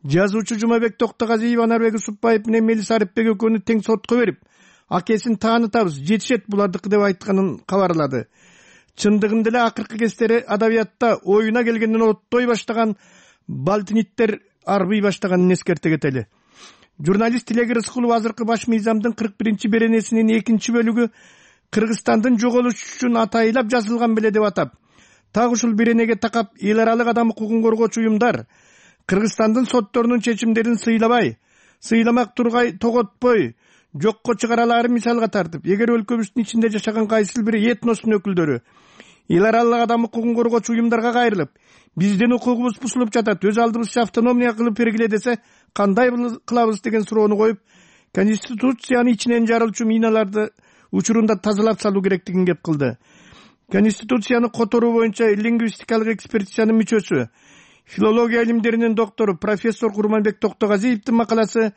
Жазуучу Жумабек Токтогазиев Анарбек Усупбаев менен Мелис Арыпбек экөөнү тең сотко берип, акесин таанытабыз, жетишет булардыкы деп айтканын кабарлады. Чындыгында эле акыркы кездери адабиятта оюна келгенден оттой баштаган балтиниттер арбый баштаганын эскерте кетели. Журналист Тилек Рыскулов азыркы баш мыйзамдын кырк биринчи беренесинин экинчи бөлүгү Кыргызстандын жоголушу үчүн атайылап жазылган беле деп атап, так ушул беренеге такап эл аралык адам укугун коргоочу уюмдар Кыргызстандын сотторунун чечимдерин сыйламай, сыйламак тургай тоготпой, жокко чыгаралары мисалга тартып, эгер өлкөбүздүн ичинде жашаган кайсыл бир этностун өкүлдөрү эл аралык адам укугун коргоочу уюмдарга кайрылып, биздин укугубуз бузулуп жатат, өз алдыбызча автономия кылып бергиле десе, кандай кылабыз деген суроону коюп, Конституциянын ичинен жарылчу миналарды учурунда тазалап салуу керектигин кеп кылды. Конституцияны которуу боюнча лингвистикалык экспертизанын мүчөсү, филология илимдеринин доктору профессор Курманбек Токтогазиевдин макаласы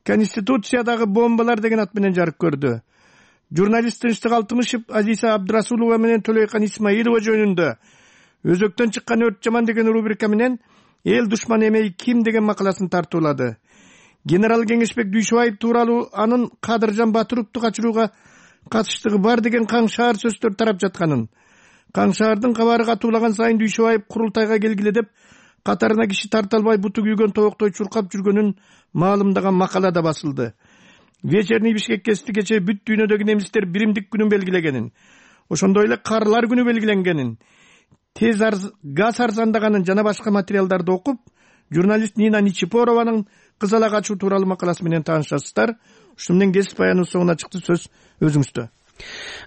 Конституциядагы бомбалар деген ат менен жарык көрдү. Журналист Тынчтык Алтымышев Азиса Абдрасулова менен Төлөйкан Исмаилова жөнүндө Өзөктөн чыккан өрт жаман деген рубрика менен эл душман эмей ким деген макаласын тартуулады. Генерал Кеңешбек Дүйшөбаев тууралуу анын Кадыржан Батыровду качырууга катыштыгы бар деген каңшаар сөздөр тарап жатканын, Каңшаардын кабары катуулаган сайын Дүйшөбаев курултайга келгиле деп катарына киши тарта албай буту күйгөн тобоктой чуркап жүргөнүн маалымдаган макала да басылды. Вечерний Бишкек гезити кечээ бүт дүйнөдөгү немистер биримдик күнүн белгилегенин, ошондой эле карлар күнү белгиленгенин, тез газ арзандаганын жана башка материалдарды окуп, журналист Нина Ничипорованын кызала качуу тууралуу макаласы менен таанышасыздар. Ушуну менен гезит баянынын соңуна чыкты, сөз өзүңүздө.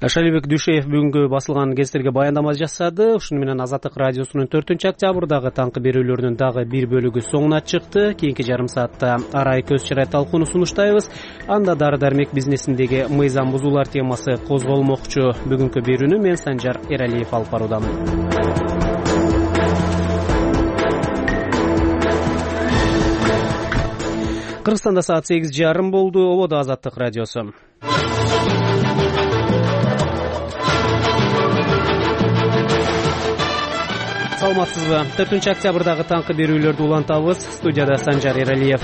Шалибек Дүйшөев бүгүнкү басылган гезиттерге баяндама жасады. Ушуну менен Азаттык радиосунун төртүнчү октябрдагы таңкы берүүлөрүнүн дагы бир бөлүгү соңуна чыкты. Кийинки жарым саатта арай көз чырай талкууну сунуштайбыз. Анда дары дармек бизнесиндеги мыйзам бузуулар темасы козголмокчу. Бүгүнкү берүүнү мен Санжар Эралиев алып баруудамын. Кыргызстанда саат сегиз жарым болду. Ободо Азаттык радиосу. Саламатсызбы? төртүнчү октябрдагы таңкы берүүлөрдү улантабыз. Студияда Санжар Эралиев.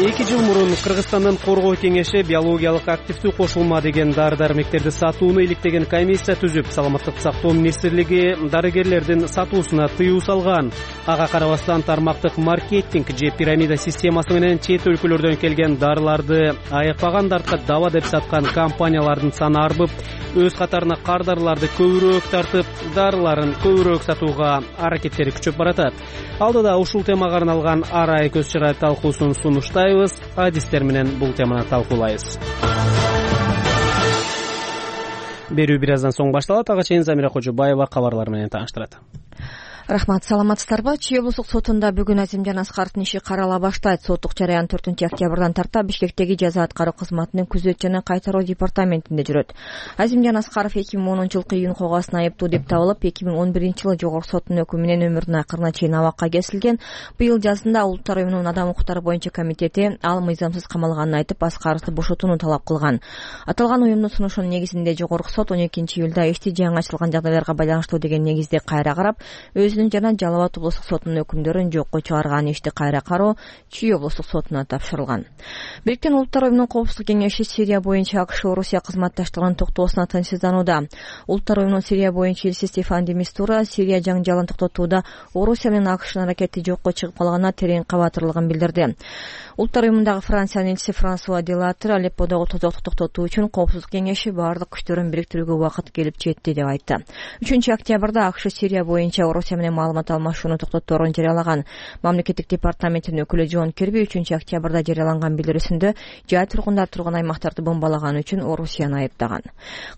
эки жыл мурун Кыргызстандын коргоо кеңеши биологиялык активдүү кошулма деген дары дармектерди сатууну иликтеген комиссия түзүп, саламаттык сактоо министрлиги дарыгерлердин сатуусуна тыюу салган. Ага карабастан тармактык маркетинг же пирамида системасы менен чет өлкөлөрдөн келген дарыларды айыкпаган дартка даба деп саткан компаниялардын саны арбып, өз катарына кардарларды көбүрөөк тартып, дарыларын көбүрөөк сатууга аракеттери күчөп баратат. Алдыда ушул темага арналган арай көз чырай талкуусун сунуштайбыз. Адистер менен бул теманы талкуулайбыз. Берүү бир аздан соң башталат. Ага чейин Замира Кожобаева кабарлар менен тааныштырат. Рахмат, саламатсыздарбы? Чүй облустук сотунда бүгүн Азимжан Аскаровдун иши карала баштайт. Соттук жараян төртүнчү октябрдан тарта Бишкектеги жаза аткаруу кызматынын күзөт жана кайтаруу департаментинде жүрөт. Азимжан Аскаров эки миң онунчу жылкы июнь коогаасына айыптуу деп табылып, эки миң он биринчи жылы жогорку соттун өкүмү менен өмүрүнүн акырына чейин абакка кесилген. Быйыл жазында Улуттар уюмунун адам укуктары боюнча комитети ал мыйзамсыз камалганын айтып, Аскаровду бошотууну талап кылган. Аталган уюмдун сунушунун негизинде жогорку сот он экинчи июлда ишти жаңы ачылган жагдайларга байланыштуу деген негизде кайра карап, өзүнүн жана Жалал Абад облустук сотунун өкүмдөрүн жокко чыгарган. Ишти кайра кароо Чүй облустук сотуна тапшырылган. Бириккен Улуттар уюмунун коопсуздук кеңеши Сирия боюнча АКШ Орусия кызматташтыгынын токтоосуна тынчсызданууда. Улуттар уюмунун Сирия боюнча элчиси Стефан де Мистура Сирия жаңжалын токтотууда Орусия менен АКШнын аракети жокко чыгып калганына терең кабатырлыгын билдирди. Улуттар уюмундагы Франциянын элчиси Франсуа Делатр Алепподогу тозоктукту токтотуу үчүн коопсуздук кеңеши баардык күчтөрүн бириктирүүгө убакыт келип жетти деп айтты. үчүнчү октябрда АКШ Сирия боюнча Орусия менен маалымат алмашууну токтоторун жарыялаган. Мамлекеттик департаменттин өкүлү Джон Кирби үчүнчү октябрда жарыяланган билдирүүсүндө жай тургундар турган аймактарды бомбалаган үчүн Орусияны айыптаган.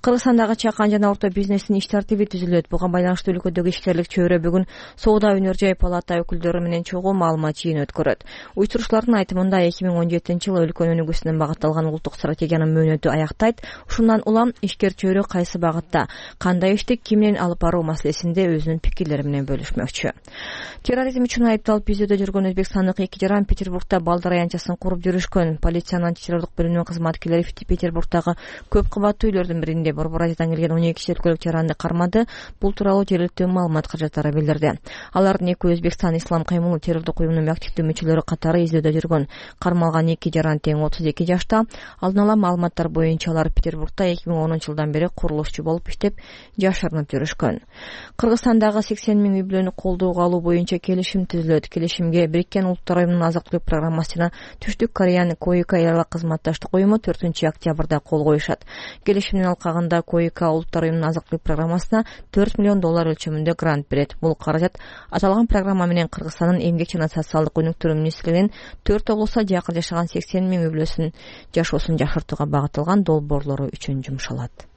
Кыргызстандагы чакан жана орто бизнестин иш тартиби түзүлөт. Буга байланыштуу өлкөдөгү ишкерлик чөйрө бүгүн Соода өнөр жай палата өкүлдөрү менен чогуу маалымат жыйын өткөрөт. Уюштуруучулардын айтымында эки миң он жетинчи жылы өлкөнүн өнүгүүсүнө багытталган улуттук стратегиянын мөөнөтү аяктайт. Ушундан улам ишкер чөйрө кайсы багытта, кандай ишти ким менен алып баруу маселесинде өзүнүн пикирлери менен бөлүшмөкчү. Терроризм үчүн айыпталып изөөдө жүргөн өзбекстандык эки жаран Петербургда балдар аянтчасын куруп жүрүшкөн. Полициянын антитеррорлук бөлүмүнүн кызматкерлери Петербургдагы көп кабаттуу үйлөрдүн биринде Борбор Азиядан келген он эки өлкөлүк жаранды кармады. Бул тууралуу жергиликтүү маалымат каражаттары билдирди. Алардын экөө Өзбекстан Ислам каймылы террорлук уюмунун активдүү мүчөлөрү катары изөөдө жүргөн. Кармалган эки жаран тең отуз эки жашта. Алдын ала маалыматтар боюнча алар Петербургда эки миң онунчу жылдан бери курулушчу болуп иштеп, жашырынып жүрүшкөн. Кыргызстандагы сексен миң үй бүлөнү колдоого алуу боюнча келишим түзүлөт. Келишимге Бириккен Улуттар уюмунун азык түлүк программасы жана Түштүк Кореянын Коика элалык кызматташтык уюму төртүнчү октябрда кол коюшат. Келишимдин алкагында Коика Улуттар уюмунун азык түлүк программасына төрт миллион доллар өлчөмүндө грант берет. Бул каражат аталган программа менен Кыргызстандын эмгек жана социалдык өнүктүрүү министрлигинин төрт облустта жакын жашаган сексен миң үй бүлөсүнүн жашоосун жакшыртууга багытталган долбоорлору үчүн жумшалат.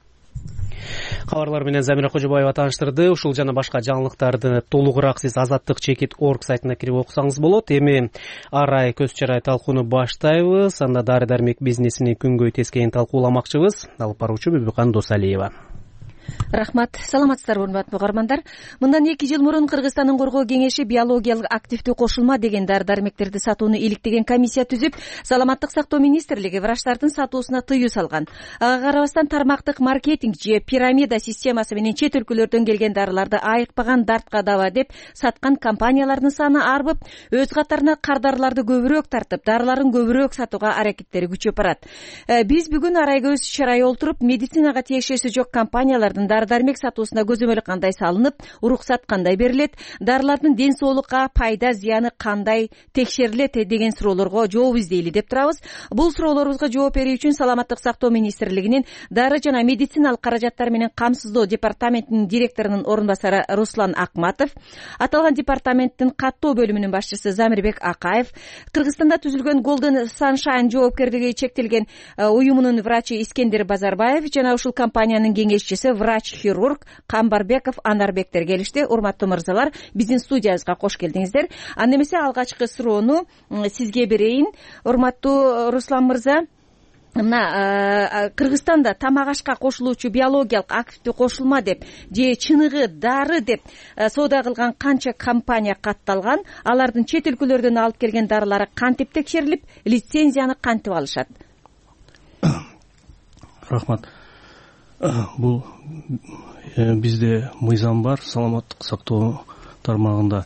Кабарлар менен Замира Кожобаева тааныштырды. Ушул жана башка жаңылыктарды толугураак сиз азаттык чекит орг сайтына кирип окусаңыз болот. Эми арай көз чырай талкууну баштайбыз. Анда дары дармек бизнесини күнгөй тескейин талкууламакчыбыз. Алып баруучу Бүбүкан Досалиева. рахмат. Саламатсыздарбы урматтуу угармандар. Мындан эки жыл мурун Кыргызстандын коргоо кеңеши биологиялык активдүү кошулма деген дары дармектерди сатууну иликтеген комиссия түзүп, саламаттык сактоо министрлиги врачтардын сатуусуна тыюу салган. Ага карабастан тармактык маркетинг же пирамида системасы менен чет өлкөлөрдөн келген дарыларды айыкпаган дартка даба деп саткан компаниялардын саны арбып, өз катарына кардарларды көбүрөөк тартып, дарыларын көбүрөөк сатууга аракеттери күчөп барат. Биз бүгүн арай көз чарай олтуруп, медицинага тиешеси жок компаниялардын дары дармек сатуусуна көзөмөл кандай салынып, уруксат кандай берилет, дарылардын ден соолукка пайда зыяны кандай текшерилет деген суроолорго жооп издейли деп турабыз. Бул суроолорубузга жооп берүү үчүн саламаттык сактоо министрлигинин дары жана медициналык каражаттар менен камсыздоо департаментинин директорунун орун басары Руслан Акматов, аталган департаменттин каттоо бөлүмүнүн башчысы Замирбек Акаев, Кыргызстанда түзүлгөн Golden Sunshine жоопкердиги чектелген уюмунун врачы Искендер Базарбаев жана ушул компаниянын кеңешчиси врач-хирург Камбарбеков Анарбектер келишти. Урматтуу мырзалар, биздин студиябызга кош келдиңиздер. Анда эмесе алгачкы суроону сизге берейин. Урматтуу Руслан мырза, мына Кыргызстанда тамак ашка кошулуучу биологиялык активдүү кошулма деп же чыныгы дары деп соода кылган канча компания катталган? Алардын чет өлкөлөрдөн алып келген дарылары кантип текшерилип, лицензияны кантип алышат? Рахмат. Бул бизде мыйзам бар, саламаттык сактоо тармагында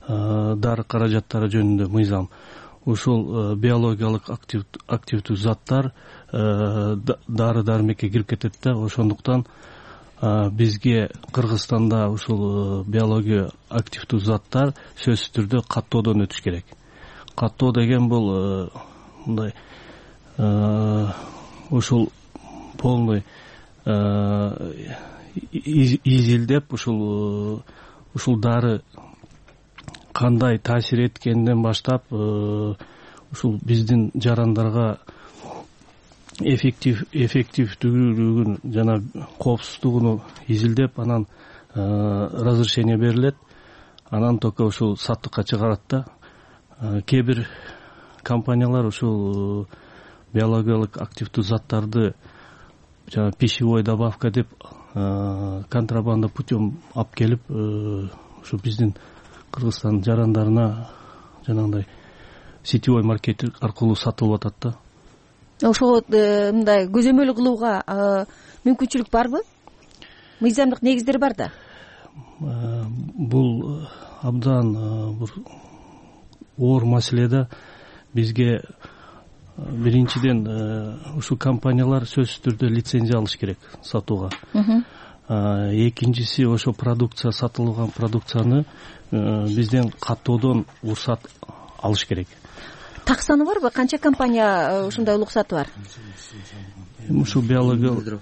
дары каражаттары жөнүндө мыйзам. Ушул биологиялык активдүү заттар дары дармекке кирип кетет да, ошондуктан бизге Кыргызстанда ушул биология активдүү заттар сөзсүз түрдө каттоодон өтүш керек. Каттоо деген бул мындай ушул полный изилдеп ушул ушул дары кандай таасир эткенден баштап ушул биздин жарандарга эффектив эффективдүүлүгүн жана коопсуздугуну изилдеп, анан разрешение берилет, анан только ушул саттыкка чыгарат да. Кээ бир компаниялар ушул биологиялык активдүү заттарды жана пищевой добавка деп контрабанда путем алып келип ушу биздин Кыргызстан жарандарына жанагындай сетевой маркетинг аркылуу сатылып атат да. Ошого мындай көзөмөл кылууга мүмкүнчүлүк барбы? Мыйзамдык негиздер бар да. Бул абдан бир оор маселе да. Бизге биринчиден ушул компаниялар сөзсүз түрдө лицензия алыш керек сатууга. Экинчиси, ошо продукция, сатылган продукцияны бизден каттоодон уруксат алыш керек. Таксаны барбы? Канча компания ушундай уруксаты бар? Ушул биология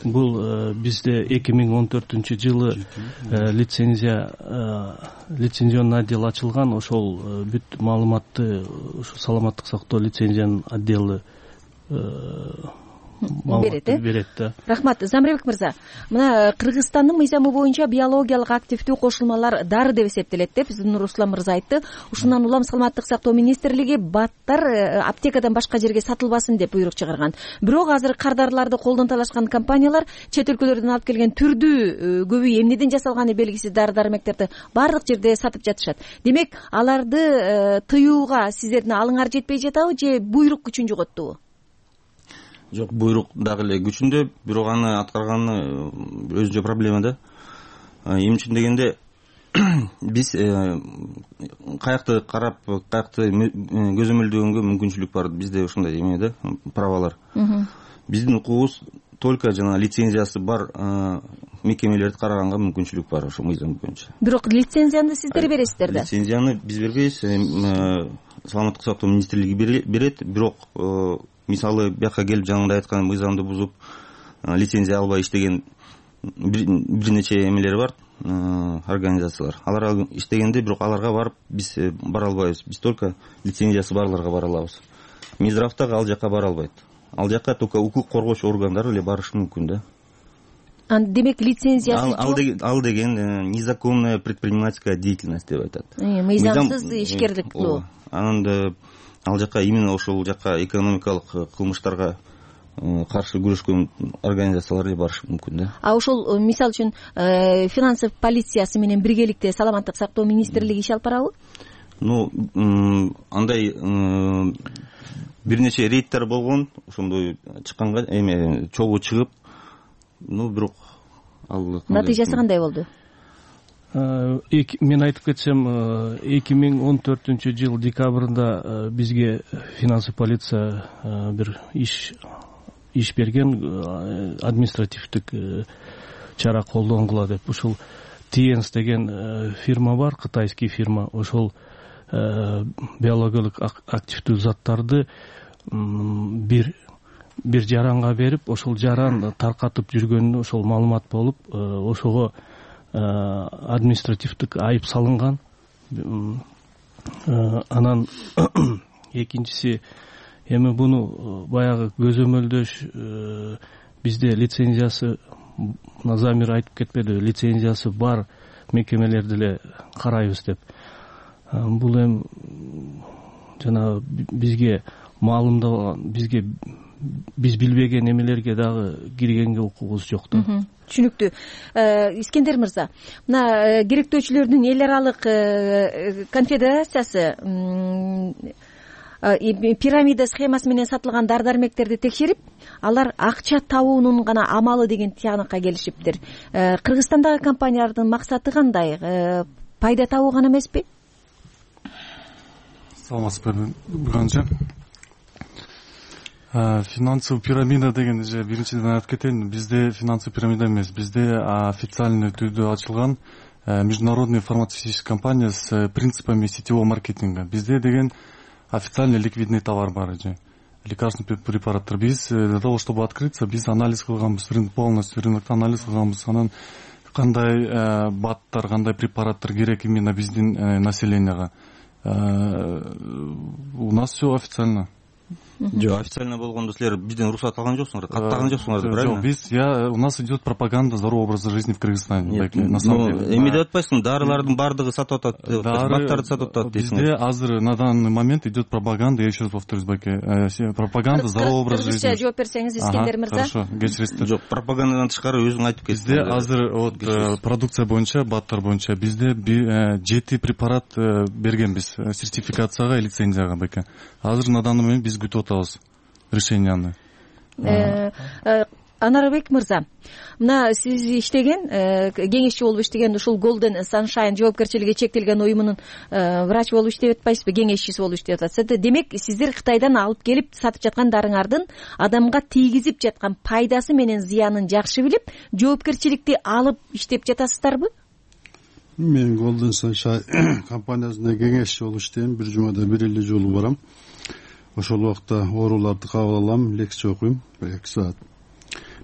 бул бизде эки миң он төртүнчү жылы лицензия лицензионный отдел ачылган. Ошол бүт маалыматты ушу саламаттык сактоо лицензиянын отделы берет э берет да. Рахмат. Замирбек мырза, мына Кыргызстандын мыйзамы боюнча биологиялык активдүү кошулмалар дары деп эсептелет деп биздин Руслан мырза айтты. Ушундан улам саламаттык сактоо министрлиги баттар аптекадан башка жерге сатылбасын деп буйрук чыгарган. Бирок азыр кардарыларды колдон талашкан компаниялар чет өлкөлөрдөн алып келген түрдүү көбү эмнеден жасалганы белгисиз дары дармектерди баардык жерде сатып жатышат. Демек, аларды тыюуга сиздердин алыңар жетпей жатабы же буйрук күчүн жоготтубу? Жок, буйрук дагы эле күчүндө, бирок аны аткарганы өзүнчө проблема да. Эмне үчүн дегенде биз каякты карап, каякты көзөмөлдөгөнгө мүмкүнчүлүк бар. Бизде ушундай эме да, правалар. Биздин укугубуз только жана лицензиясы бар мекемелерди караганга мүмкүнчүлүк бар ошо мыйзам боюнча. Бирок лицензияны сиздер бересиздер да. Лицензияны биз бербейбиз, саламаттык сактоо министрлиги берет, бирок мисалы бияка келип жаңында айткан мыйзамды бузуп лицензия албай иштеген бир нече эмелер бар, организациялар. Алар иштегенде бирок аларга барып биз бара албайбыз. Биз только лицензиясы барларга бара алабыз. Минздрав дагы ал жака бара албайт. Ал жака только укук коргоочу органдары эле барышы мүмкүн да. Демек, лицензиясы жок. Ал деген незаконная предпринимательская деятельность деп айтат. Мыйзамсыз ишкерлик кылуу. Анан ал жака именно ошол жака экономикалык кылмыштарга каршы күрөшкөн организациялар барышы мүмкүн да. А ошол мисалы үчүн финансовый полициясы менен биргеликте саламаттык сактоо министрлиги иш алып барабы? Ну андай бир нече рейдтер болгон, ошондой чыкканга эме чогуу чыгып, ну бирок ал натыйжасы кандай болду? Мен айтып кетсем, эки миң он төртүнчү жыл декабрында бизге финансовый полиция бир иш иш берген, административдик чара колдонгула деп. Ушул Тиенс деген фирма бар, кытайский фирма. Ошол биологиялык активдүү заттарды бир бир жаранга берип, ошол жаран таркатып жүргөнүнө ошол маалымат болуп, ошого административдик айып салынган. Анан экинчиси, эми буну баягы көзөмөлдөш, бизде лицензиясы, Замир айтып кетпеди, лицензиясы бар мекемелерди эле карайбыз деп. Бул эми жана бизге маалымдалган, бизге биз билбеген эмелерге дагы киргенге укугубуз жок да. Түшүнүктүү. Искендер мырза, мына керектөөчүлөрдүн эл аралык конфедерациясы пирамида схемасы менен сатылган дары дармектерди текшерип, алар акча табуунун гана амалы деген тыянакка келишиптир. Кыргызстандагы компаниялардын максаты кандай? Пайда табуу гана эмеспи? Саламатсызбы, Буганжа. Финансовый пирамида деген же биринчиден айтып кетейин, бизде финансовый пирамида эмес, бизде официальный түрдө ачылган международная фармацевтическая компания с принципами сетевого маркетинга. Бизде деген официальный ликвидный товар бар же, лекарственный препараттар. Биз для того, чтобы открыться, биз анализ кылганбыз, полностью рынокто анализ кылганбыз. Анан кандай баттар, кандай препараттар керек именно биздин населенияга. У нас все официально. Жок, официально болгондо силер бизден уруксат алган жоксуңар, каттаган жоксуңар, правильно? Жок, биз я у нас идет пропаганда здорового образа жизни в Кыргызстане. На самом деле. Эми деп атпайсың, дарылардын бардыгы сатып атат, баттарды сатып атат дейсиң. Бизде азыр на данный момент идет пропаганда, я еще раз повторюсь, Баке, пропаганда здорового образа жизни. Кыргызча жооп берсеңиз, Искендер мырза. Хорошо, кечиресиздер. Жок, пропагандадан тышкары өзүң айтып кеттиң. Бизде азыр вот продукция боюнча, баттар боюнча бизде жети препарат бергенбиз сертификацияга, лицензияга, Баке. Азыр на данный момент биз күтүп атабыз решенияны. Анарбек мырза, мына сиз иштеген, кеңешчи болуп иштеген ушул Golden Sunshine жоопкерчилиги чектелген уюмунун врач болуп иштеп атпайсызбы, кеңешчиси болуп иштеп атасыз. Демек, сиздер Кытайдан алып келип сатып жаткан дарыңардын адамга тийгизип жаткан пайдасы менен зыянын жакшы билип, жоопкерчиликти алып иштеп жатасыздарбы? Мен Golden Sunshine компаниясына кеңешчи болуп иштейм, бир жумада бир эле жолу барам. Ошол убакта ооруларды кабыл алам, лекция окуйм, эки саат.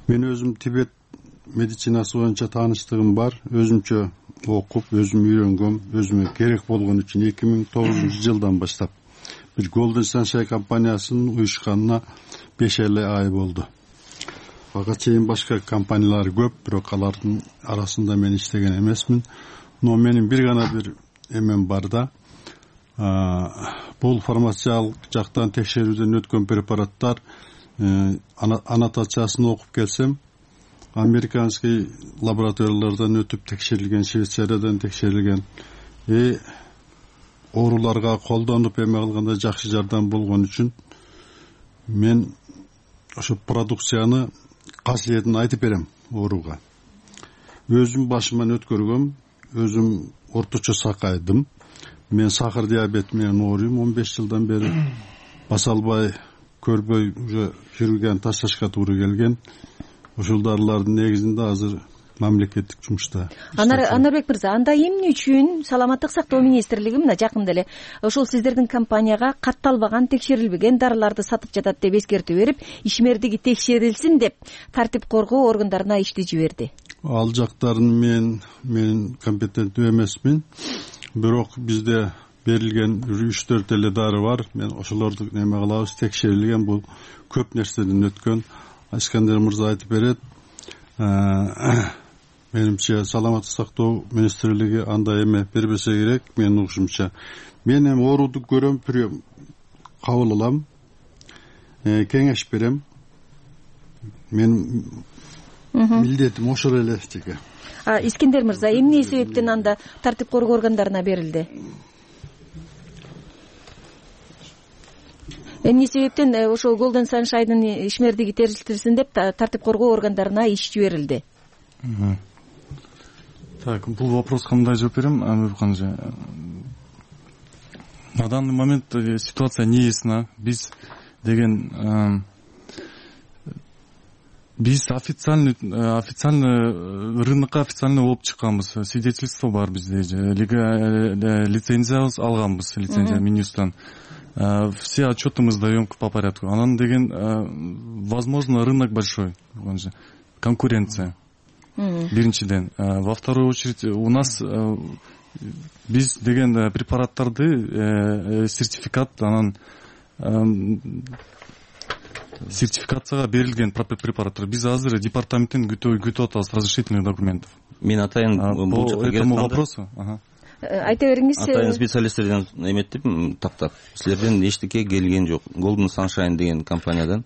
Мен өзүм Тибет медицинасы боюнча тааныштыгым бар, өзүмчө окуп, өзүм үйрөнгөм, өзүмө керек болгон үчүн эки миң тогузунчу жылдан баштап бир Golden Sunshine компаниясынын уюшканына беш эле ай болду. Ага чейин башка компаниялар көп, бирок алардын арасында мен иштеген эмесмин. Но менин бир гана бир эмем бар да. Бул фармациялык жактан текшерүүдөн өткөн препараттар аннотациясын окуп келсем, американский лабораториялардан өтүп текшерилген, Швейцариядан текшерилген, и ооруларга колдонуп эме кылганда жакшы жардам болгон үчүн мен ошо продукцияны касиетин айтып берем ооруга. Өзүм башыман өткөргөм, өзүм орточо сакайдым. Мен сахар диабет менен ооруйм, он беш жылдан бери баса албай, көрбөй, уже хирургияны ташташка туура келген. Ошол дарылардын негизинде азыр мамлекеттик жумушта. Анарбек мырза, анда эмне үчүн саламаттык сактоо министрлиги мына жакында эле ошол сиздердин компанияга катталбаган, текшерилбеген дарыларды сатып жатат деп эскертүү берип, ишмердиги текшерилсин деп тартип коргоо органдарына ишти жиберди? Ал жактарын мен мен компетенттүү эмесмин. Бирок бизде берилген үч төрт эле дары бар. Мен ошолорду неме кылабыз, текшерилген, бул көп нерседен өткөн. Искендер мырза айтып берет. Менимче саламаттык сактоо министрлиги андай эме бербесе керек, менин угушумча. Мен эми ооруду көрөм, кабыл алам, кеңеш берем. менин милдетим ошол эле жеке. Искендер мырза, эмне себептен анда тартип коргоо органдарына берилди? Эмне себептен ошол Golden Sunshine'дын ишмердиги терилтилсин деп тартип коргоо органдарына иш жиберилди? Так, бул вопроска мындай жооп берем, Амирхан эже. На данный момент ситуация неясна. Биз деген биз официальный официальный рынокко официальный болуп чыкканбыз. Свидетельство бар бизде, лицензия алганбыз, лицензия Минюстан. Все отчеты мы сдаем по порядку. Анан деген, возможно, рынок большой, конкуренция. Биринчиден. Во вторую очередь, у нас биз деген препараттарды сертификат, анан сертификацияга берилген препараттар. Биз азыр департаменттен күтүп атабыз разрешительных документов. Мен атайын по этому вопросу. Айта бериңиз. Атайын специалисттерден эметтип, тактап. Силерден эчтеке келген жок. Golden Sunshine деген компаниядан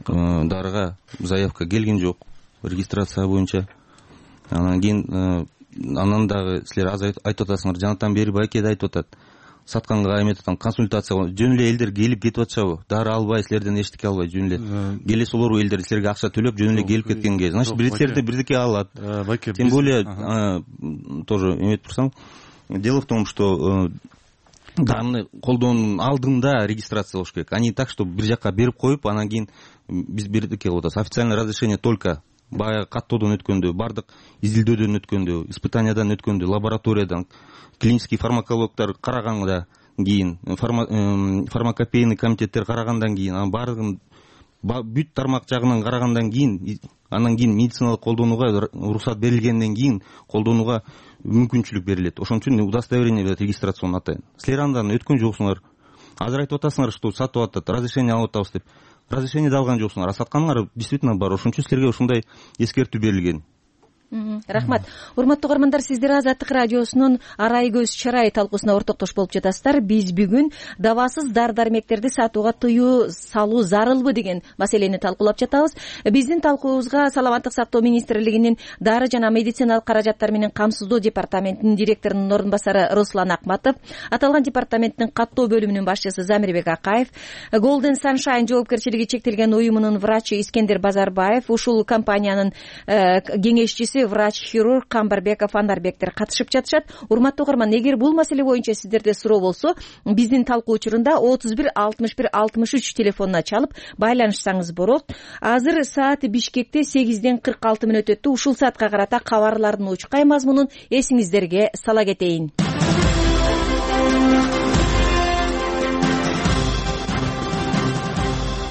дарыга заявка келген жок. Регистрация боюнча. Анан кийин анан дагы силер аз айтып атасыңар. Жанатан бери байке да айтып атат. Сатканга эметип атам, консультация жөн эле элдер келип кетип атышабы? Дары албай, силерден эчтеке албай жөн эле. Келе солор элдер силерге акча төлөп жөн эле келип кеткенге. Значит, бирлерде бирдеке алат. Тем более тоже эметип турсаң, дело в том, что дарыны колдоонун алдында регистрация болуш керек. Они так, что бир жакка берип коюп, анан кийин биз бирдеке кылып атабыз. Официальное разрешение только баягы каттоодон өткөндө, бардык изилдөөдөн өткөндө, испытаниядан өткөндө, лабораториядан, клинический фармакологдор караганда кийин, фармакопейный комитеттер карагандан кийин, анан бардыгын бүт тармак жагынан карагандан кийин, анан кийин медициналык колдонууга уруксат берилгенден кийин колдонууга мүмкүнчүлүк берилет. Ошон үчүн удостоверение берет, регистрацион атайын. Силер андан өткөн жоксуңар. Азыр айтып атасыңар, что сатып атат, разрешение алып атабыз деп. Разрешение да алган жоксуңар. А сатканыңар действительно бар. Ошон үчүн силерге ушундай эскертүү берилген. Рахмат. Урматтуу угармандар, сиздер Азаттык радиосунун арай көз чарай талкуусуна ортоктош болуп жатасыздар. Биз бүгүн дабасыз дар-дармектерди сатууга тыюу салуу зарылбы деген маселени талкуулап жатабыз. Биздин талкуубузга Саламаттык сактоо министрлигинин дары жана медициналык каражаттар менен камсыздоо департаментинин директорунун орун басары Руслан Акматов, аталган департаменттин каттоо бөлүмүнүн башчысы Замирбек Акаев, Golden Sunshine жоопкерчилиги чектелген уюмунун врачы Искендер Базарбаев, ушул компаниянын кеңешчиси врач-хирург Камбарбеков Анарбектер катышып жатышат. Урматтуу угарман, эгер бул маселе боюнча сиздерде суроо болсо, биздин талкуу учурунда отуз бир алтымыш бир алтымыш үч телефонуна чалып байланышсаңыз болот. Азыр саат Бишкекте сегизден кырк алты мүнөт өттү. Ушул саатка карата кабарлардын учкай мазмунун эсиңиздерге сала кетейин.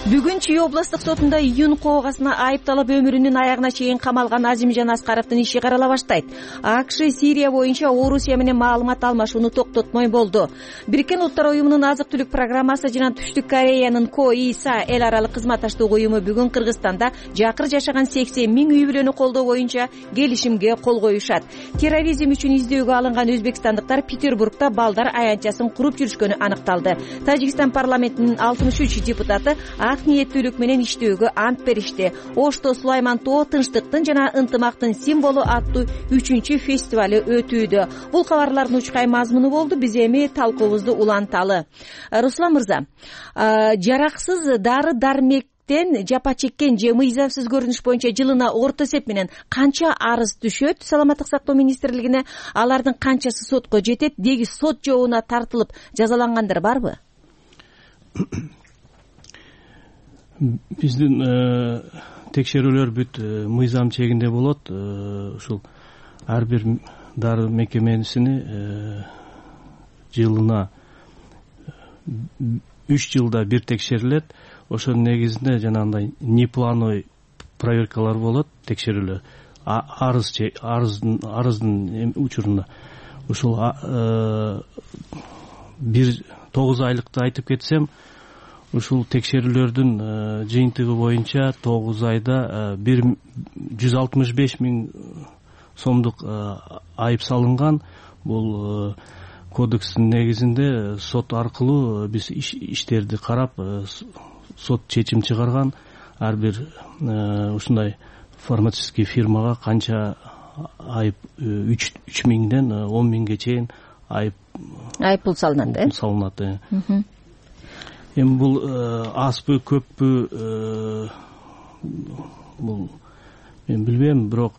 Бүгүн Чүй областык сотунда июнь коогасына айыпталып өмүрүнүн аягына чейин камалган Азимжан Аскаровдун иши карала баштайт. АКШ Сирия боюнча Орусия менен маалымат алмашууну токтотмой болду. Бириккен Улуттар уюмунун азык-түлүк программасы жана Түштүк Кореянын КОИСА эл аралык кызматташтык уюму бүгүн Кыргызстанда жакыр жашаган сексен миң үй бүлөнү колдоо боюнча келишимге кол коюшат. Терроризм үчүн издөөгө алынган өзбекстандыктар Петербургда балдар аянтчасын куруп жүрүшкөнү аныкталды. Тажикстан парламентинин алтымыш үч депутаты ак ниеттүүлүк менен иштөөгө ант беришти. Ошто Сулайман Тоо тынчтыктын жана ынтымактын символу аттуу үчүнчү фестивалы өтүүдө. Бул кабарлардын учкай мазмуну болду. Биз эми талкуубузду уланталы. Руслан мырза, жараксыз дары дармектен жапа чеккен же мыйзамсыз көрүнүш боюнча жылына орто эсеп менен канча арыз түшөт Саламаттык сактоо министрлигине? Алардын канчасы сотко жетет? Деги сот жообуна тартылып жазалангандар барбы? Биздин текшерүүлөр бүт мыйзам чегинде болот. Ушул ар бир дары мекемесини жылына үч жылда бир текшерилет. Ошонун негизинде жанагындай неплановый проверкалар болот, текшерүүлөр. Арыз арыздын арыздын учурунда ушул бир тогуз айлыкты айтып кетсем, ушул текшерүүлөрдүн жыйынтыгы боюнча тогуз айда бир жүз алтымыш беш миң сомдук айып салынган. Бул кодекстин негизинде сот аркылуу биз иштерди карап сот чечим чыгарган. ар бир ушундай фармацевтический фирмага канча айып үч миңден он миңге чейин айып айып пул салынат э салынат. Эми бул азбы көппү бул мен билбейм, бирок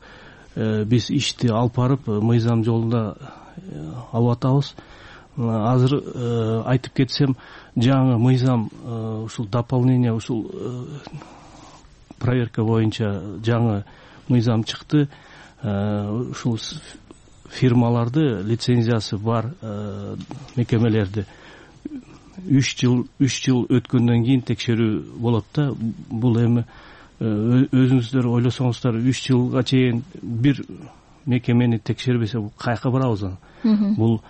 биз ишти алып барып мыйзам жолунда алып атабыз. Азыр айтып кетсем, жаңы мыйзам ушул дополнение, ушул проверка боюнча жаңы мыйзам чыкты. Ушул фирмаларды, лицензиясы бар мекемелерди үч жыл үч жыл өткөндөн кийин текшерүү болот да. Бул эми өзүңүздөр ойлосоңуздар, үч жылга чейин бир мекемени текшербесе бул каяка барабыз аны? Бул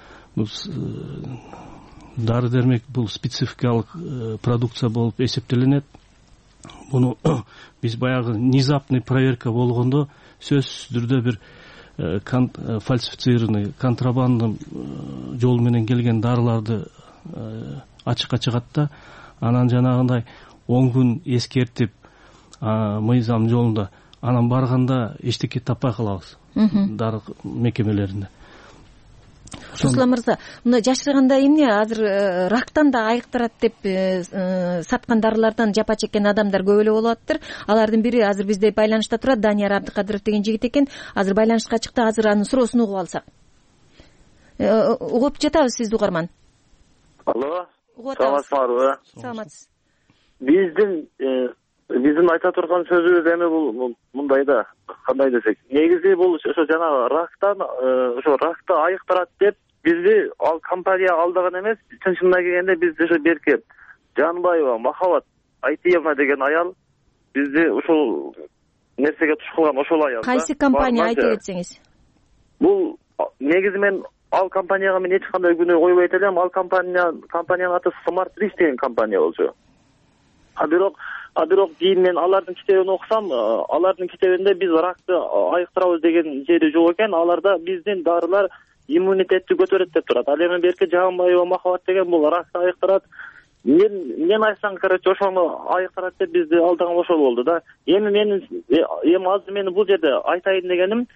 дары дермек, бул спецификалык продукция болуп эсептелинет. Буну биз баягы внезапный проверка болгондо сөзсүз түрдө бир фальсифицированный, контрабанда жол менен келген дарыларды ачыкка чыгат да, анан жанагындай он күн эскертип мыйзам жолунда, анан барганда эчтеке таппай калабыз дары мекемелеринде. Руслан мырза, мына жашырганда эмне азыр рактан да айыктырат деп саткан дарылардан жапа чеккен адамдар көп эле болуп атыптыр. Алардын бири азыр бизде байланышта турат, Данияр Абдыкадыров деген жигит экен. Азыр байланышка чыкты, азыр анын суроосун угуп алсак. Угуп жатабыз сизди, угарман. Алло, саламатсызбы? Саламатсыз. Биздин биздин айта турган сөзүбүз эми бул мындай да, кандай десек, негизи бул ошо жанагы рактан ошо ракты айыктырат деп бизди ал компания алдаган эмес. Чынчына келгенде биз ошо берки Жанбаева Махабат Айтиевна деген аял бизди ушул нерсеге туш кылган, ошол аял. Кайсы компания айтып кетсеңиз? Бул негизи мен ал компанияга мен эч кандай күнөө койбойт элем. Ал компания компаниянын аты Smart Rich деген компания болчу. А бирок А бирок кийин мен алардын китебин окусам, алардын китебинде биз ракты айыктырабыз деген жери жок экен. Аларда биздин дарылар иммунитетти көтөрөт деп турат. Ал эми берки Жанбаева Махабат деген бул ракты айыктырат. Мен мен айтсам, короче, ошону айыктырат деп бизди алдаган ошол болду да. Эми мен эми азыр мен бул жерде айтайын дегеним,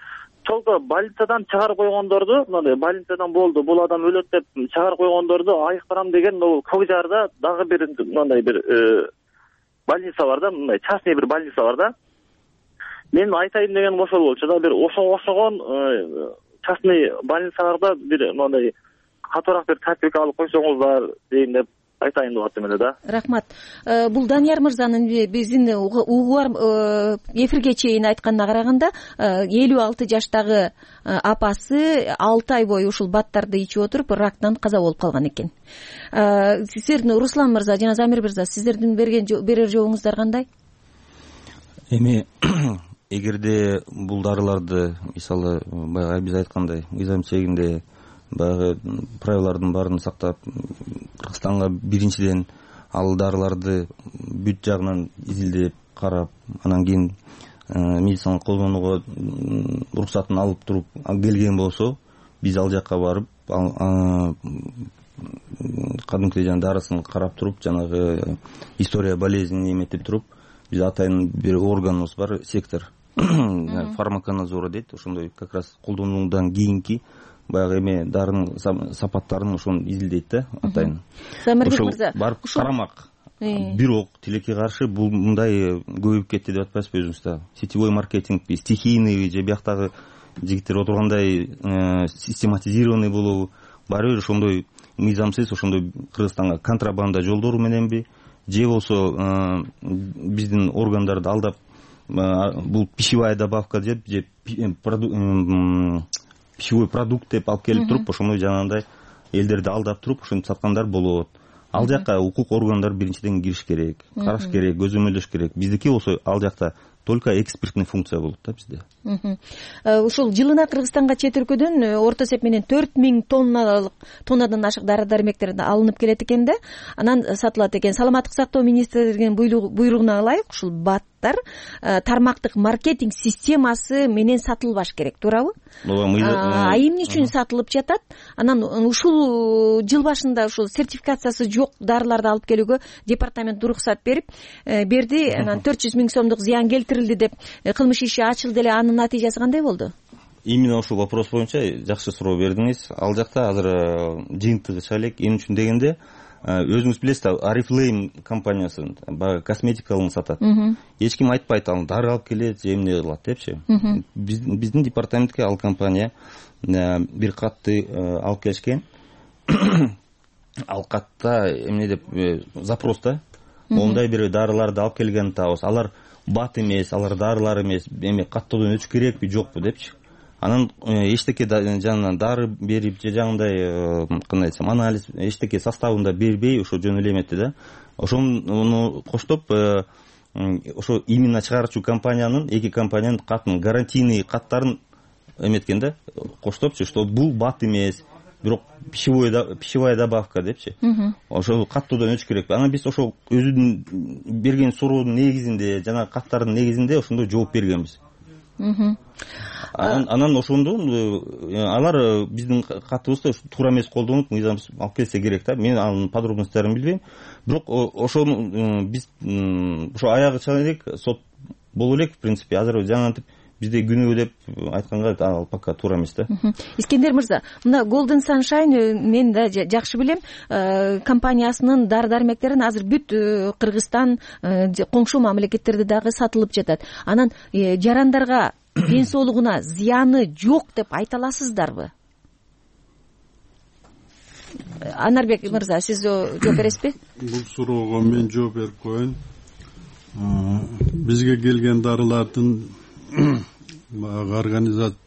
только больницадан чыгарып койгондорду, мындай больницадан болду, бул адам өлөт деп чыгарып койгондорду айыктырам деген бул Көкжарда дагы бир мындай бир больница бар да, мындай частный бир больница бар да. Мен айтайын дегеним ошол болчу да, бир ошого окшогон частный больницаларда бир мындай катуураак бир тартипке алып койсоңуздар дейин деп айтайын деп аттым эле да. Рахмат. Бул Данияр мырзанын биздин угуар эфирге чейин айтканына караганда элүү алты жаштагы апасы алты ай бою ушул баттарды ичип отуруп рактан каза болуп калган экен. Сиздердин Руслан мырза жана Замир мырза, сиздердин берген берер жообуңуздар кандай? Эми эгерде бул дарыларды, мисалы баягы биз айткандай, мыйзам чегинде баягы правилалардын баарын сактап, Кыргызстанга биринчиден ал дарыларды бүт жагынан изилдеп карап, анан кийин медициналык колдонууга уруксатын алып туруп келген болсо, биз ал жакка барып кадимкидей жана дарысын карап туруп, жанагы история болезнин эметип туруп, биз атайын бир органыбыз бар, сектор фармаконадзора дейт. Ошондой как раз колдонуудан кийинки баягы эме дарынын сапаттарын ошону изилдейт да, атайын. Замирбек мырза, барып карамак. Бирок тилекке каршы бул мындай көбөйүп кетти деп атпайсызбы өзүңүз да? Сетевой маркетингби, стихийный же бияктагы жигиттер отургандай систематизированный болобу? Баары бир ошондой мыйзамсыз, ошондой Кыргызстанга контрабанда жолдору мененби, же болсо биздин органдарды алдап бул пищевая добавка деп же пищевой продукт деп алып келип туруп, ошондой жанагындай элдерди алдап туруп ошентип саткандар болот. Ал жакка укук органдары биринчиден кириш керек, караш керек, көзөмөлдөш керек. Биздики болсо ал жакта только экспертный функция болот да бизде. Ушул жылына Кыргызстанга чет өлкөдөн орто эсеп менен төрт миң тонналык тоннадан ашык дары дармектер алынып келет экен да, анан сатылат экен. Саламаттык сактоо министрлигинин буйругуна ылайык ушул бат заттар тармактык маркетинг системасы менен сатылбаш керек, туурабы? А эмне үчүн сатылып жатат? Анан ушул жыл башында ушул сертификациясы жок дарыларды алып келүүгө департамент уруксат берип берди. Анан төрт жүз миң сомдук зыян келтирилди деп кылмыш иши ачылды эле. Анын натыйжасы кандай болду? Именно ушул вопрос боюнча жакшы суроо бердиңиз. Ал жакта азыр жыйынтыгы чыга элек. Эмне үчүн дегенде, өзүңүз билесиз, Oriflame компаниясы баягы косметикалык сатат. Эч ким айтпайт, ал дары алып келет, же эмне кылат депчи. Биздин департаментке ал компания бир катты алып келишкен. Ал катта эмне деп запроста ондай бир дарыларды алып келгенин табабыз. Алар бат эмес, алар дарылар эмес, эми каттоодон өтүш керекпи, жокпу депчи. Анан эчтеке жанынан дары берип же жаңындай кандай десем анализ эчтеке составында бербей ошо жөн эле эметти да. Ошону коштоп ошо именно чыгаруучу компаниянын эки компаниянын катын гарантийный каттарын эметкен да, коштопчу, что бул бат эмес, бирок пищевая добавка депчи. Ошол каттоодон өтүш керек. Анан биз ошол өзүнүн берген суроонун негизинде, жана каттардын негизинде ошондой жооп бергенбиз. Анан ошондо алар биздин катыбызды туура эмес колдонуп, мыйзамсыз алып келсе керек да. Мен анын подробностьтарын билбейм. Бирок ошону биз ошо аягы чыга элек, сот боло элек, в принципе. Азыр жаңантип бизде күнөө деп айтканга ал пока туура эмес да. Искендер мырза, мына Golden Sunshine мен да жакшы билем, компаниясынын дары дармектерин азыр бүт Кыргызстан, коңшу мамлекеттерде дагы сатылып жатат. Анан жарандарга ден соолугуна зыяны жок деп айта аласыздарбы? Анарбек мырза, сиз жооп бересизби? Бул суроого мен жооп берип коеюн. Бизге келген дарылардын организация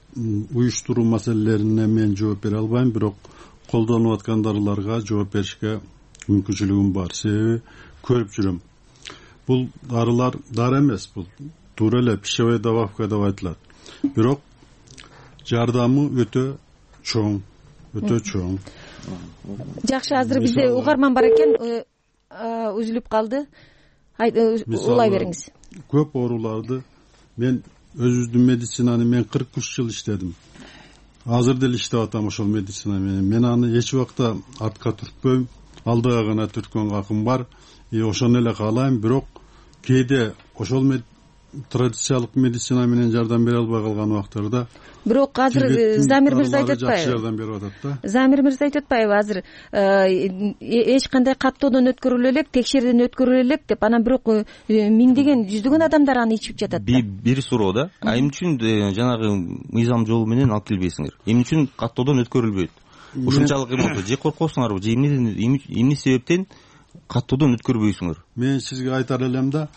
уюштуруу маселелерине мен жооп бере албайм, бирок колдонуп аткан дарыларга жооп беришке мүмкүнчүлүгүм бар. Себеби көрүп жүрөм. Бул дарылар дары эмес, бул туура эле пищевая добавка деп айтылат. Бирок жардамы өтө чоң, өтө чоң. Жакшы, азыр бизде угарман бар экен, үзүлүп калды. Улай бериңиз. Көп ооруларды мен өзүбүздүн медицинаны мен кырк үч жыл иштедим. Азыр деле иштеп атам ошол медицина менен. Мен аны эч убакта артка түртпөйм, алдыга гана түрткөн акым бар. И ошону эле каалайм, бирок кээде ошол традициялык медицина менен жардам бере албай калган убактарда бирок азыр Замир мырза айтып атпайбы? Жакшы жардам берип атат да. Замир мырза айтып атпайбы? Азыр эч кандай каттоодон өткөрүлө элек, текшерүүдөн өткөрүлө элек деп, анан бирок миңдеген, жүздөгөн адамдар аны ичип жатат да. Бир суроо да. А эмне үчүн жанагы мыйзам жолу менен алып келбейсиңер? Эмне үчүн каттоодон өткөрүлбөйт? Ушунчалык эмне? Же коркосуңарбы? Же эмне себептен каттоодон өткөрбөйсүңөр? Мен сизге айтар элем да,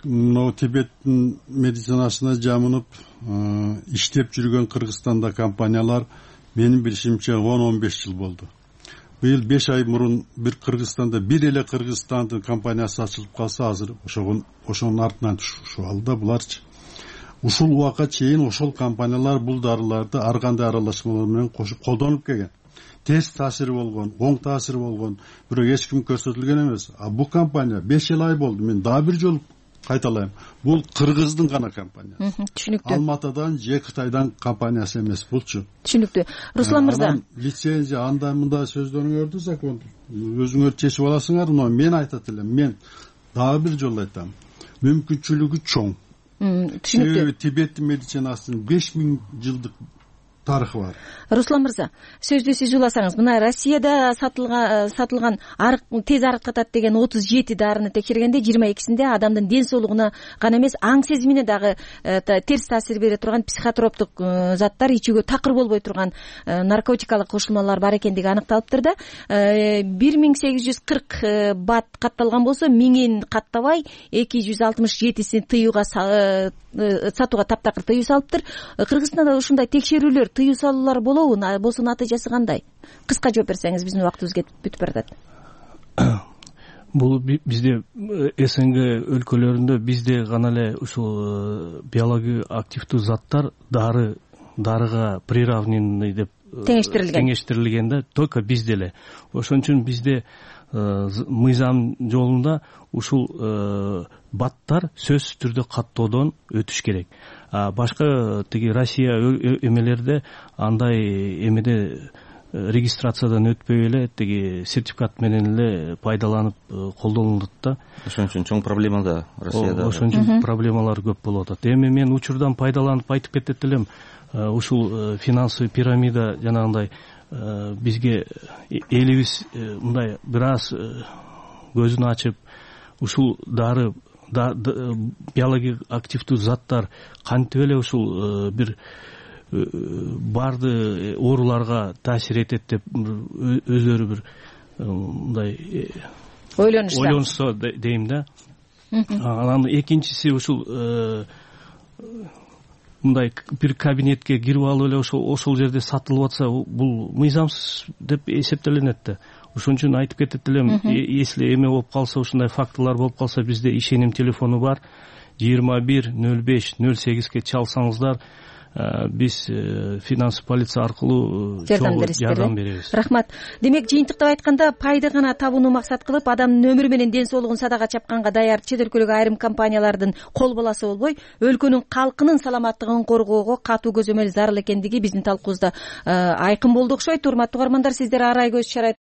но Тибеттин медицинасына жамынып иштеп жүргөн Кыргызстанда компаниялар менин билишимче он он беш жыл болду. Быйыл беш ай мурун бир Кыргызстанда бир эле Кыргызстандын компаниясы ачылып калса, азыр ошогон ошонун артынан түшүп алды буларчы. Ушул убакка чейин ошол компаниялар бул дарыларды ар кандай аралашмалар менен кошуп колдонуп келген. Терс таасири болгон, оң таасири болгон, бирок эч ким көрсөтүлгөн эмес. А бул компания беш ай болду. Мен дагы бир жолу кайталайм. Бул Кыргыздын гана компаниясы. Түшүнүктүү. Алматыдан же Кытайдан компаниясы эмес булчу. Түшүнүктүү. Руслан мырза, лицензия андай мындай сөздөрүңөрдү закон өзүңөр чечип аласыңар, но мен айтат элем, мен дагы бир жолу айтам. Мүмкүнчүлүгү чоң. Түшүнүктүү. Тибет медицинасынын беш миң жылдык тарыхы бар. Руслан мырза, сөздү сиз уласаңыз, мына Россияда сатылган сатылган тез арыктатат деген отуз жети дарыны текшергенде жыйырма экисинде адамдын ден соолугуна гана эмес, аң сезимине дагы терс таасир бере турган психотроптук заттар, ичүүгө такыр болбой турган наркотикалык кошулмалар бар экендиги аныкталыптыр да. бир миң сегиз жүз кырк бат катталган болсо, миңин каттабай эки жүз алтымыш жетисин тыюуга сатууга таптакыр тыюу салыптыр. Кыргызстанда ушундай текшерүүлөр, тыюу салуулар болобу? Болсо натыйжасы кандай? Кыска жооп берсеңиз, биздин убактыбыз кетип бүтүп баратат. Бул бизде СНГ өлкөлөрүндө бизде гана эле ушул биология активдүү заттар дары дарыга приравненный деп теңештирилген теңештирилген да, только бизде эле. Ошон үчүн бизде мыйзам жолунда ушул баттар сөзсүз түрдө каттоодон өтүш керек. Башка тиги Россия эмелерде андай эмеде регистрациядан өтпөй эле тиги сертификат менен эле пайдаланып колдонулат да. Ошон үчүн чоң проблема да Россияда. Ошон үчүн проблемалар көп болуп атат. Эми мен учурдан пайдаланып айтып кетет элем, ушул финансовый пирамида жанагындай бизге элибиз мындай бир аз көзүн ачып, ушул дары биологик активдүү заттар кантип эле ушул бир барды ооруларга таасир этет деп өздөрү бир мындай ойлонушса дейм да. Анан экинчиси ушул мындай бир кабинетке кирип алып эле ошол ошол жерде сатылып атса, бул мыйзамсыз деп эсептелинет да. Ошон үчүн айтып кетет элем, если эме болуп калса, ушундай фактылар болуп калса, бизде ишеним телефону бар, жыйырма бир нөл беш нөл сегизге чалсаңыздар, биз финансовый полиция аркылуу жардам беребиз. Рахмат. Демек, жыйынтыктап айтканда, пайда гана табууну максат кылып, адамдын өмүрү менен ден соолугун садага чапканга даяр чет өлкөлүк айрым компаниялардын кол баласы болбой, өлкөнүн калкынын саламаттыгын коргоого катуу көзөмөл зарыл экендиги биздин талкуубузда айкын болду окшойт. Урматтуу угармандар, сиздер арай көз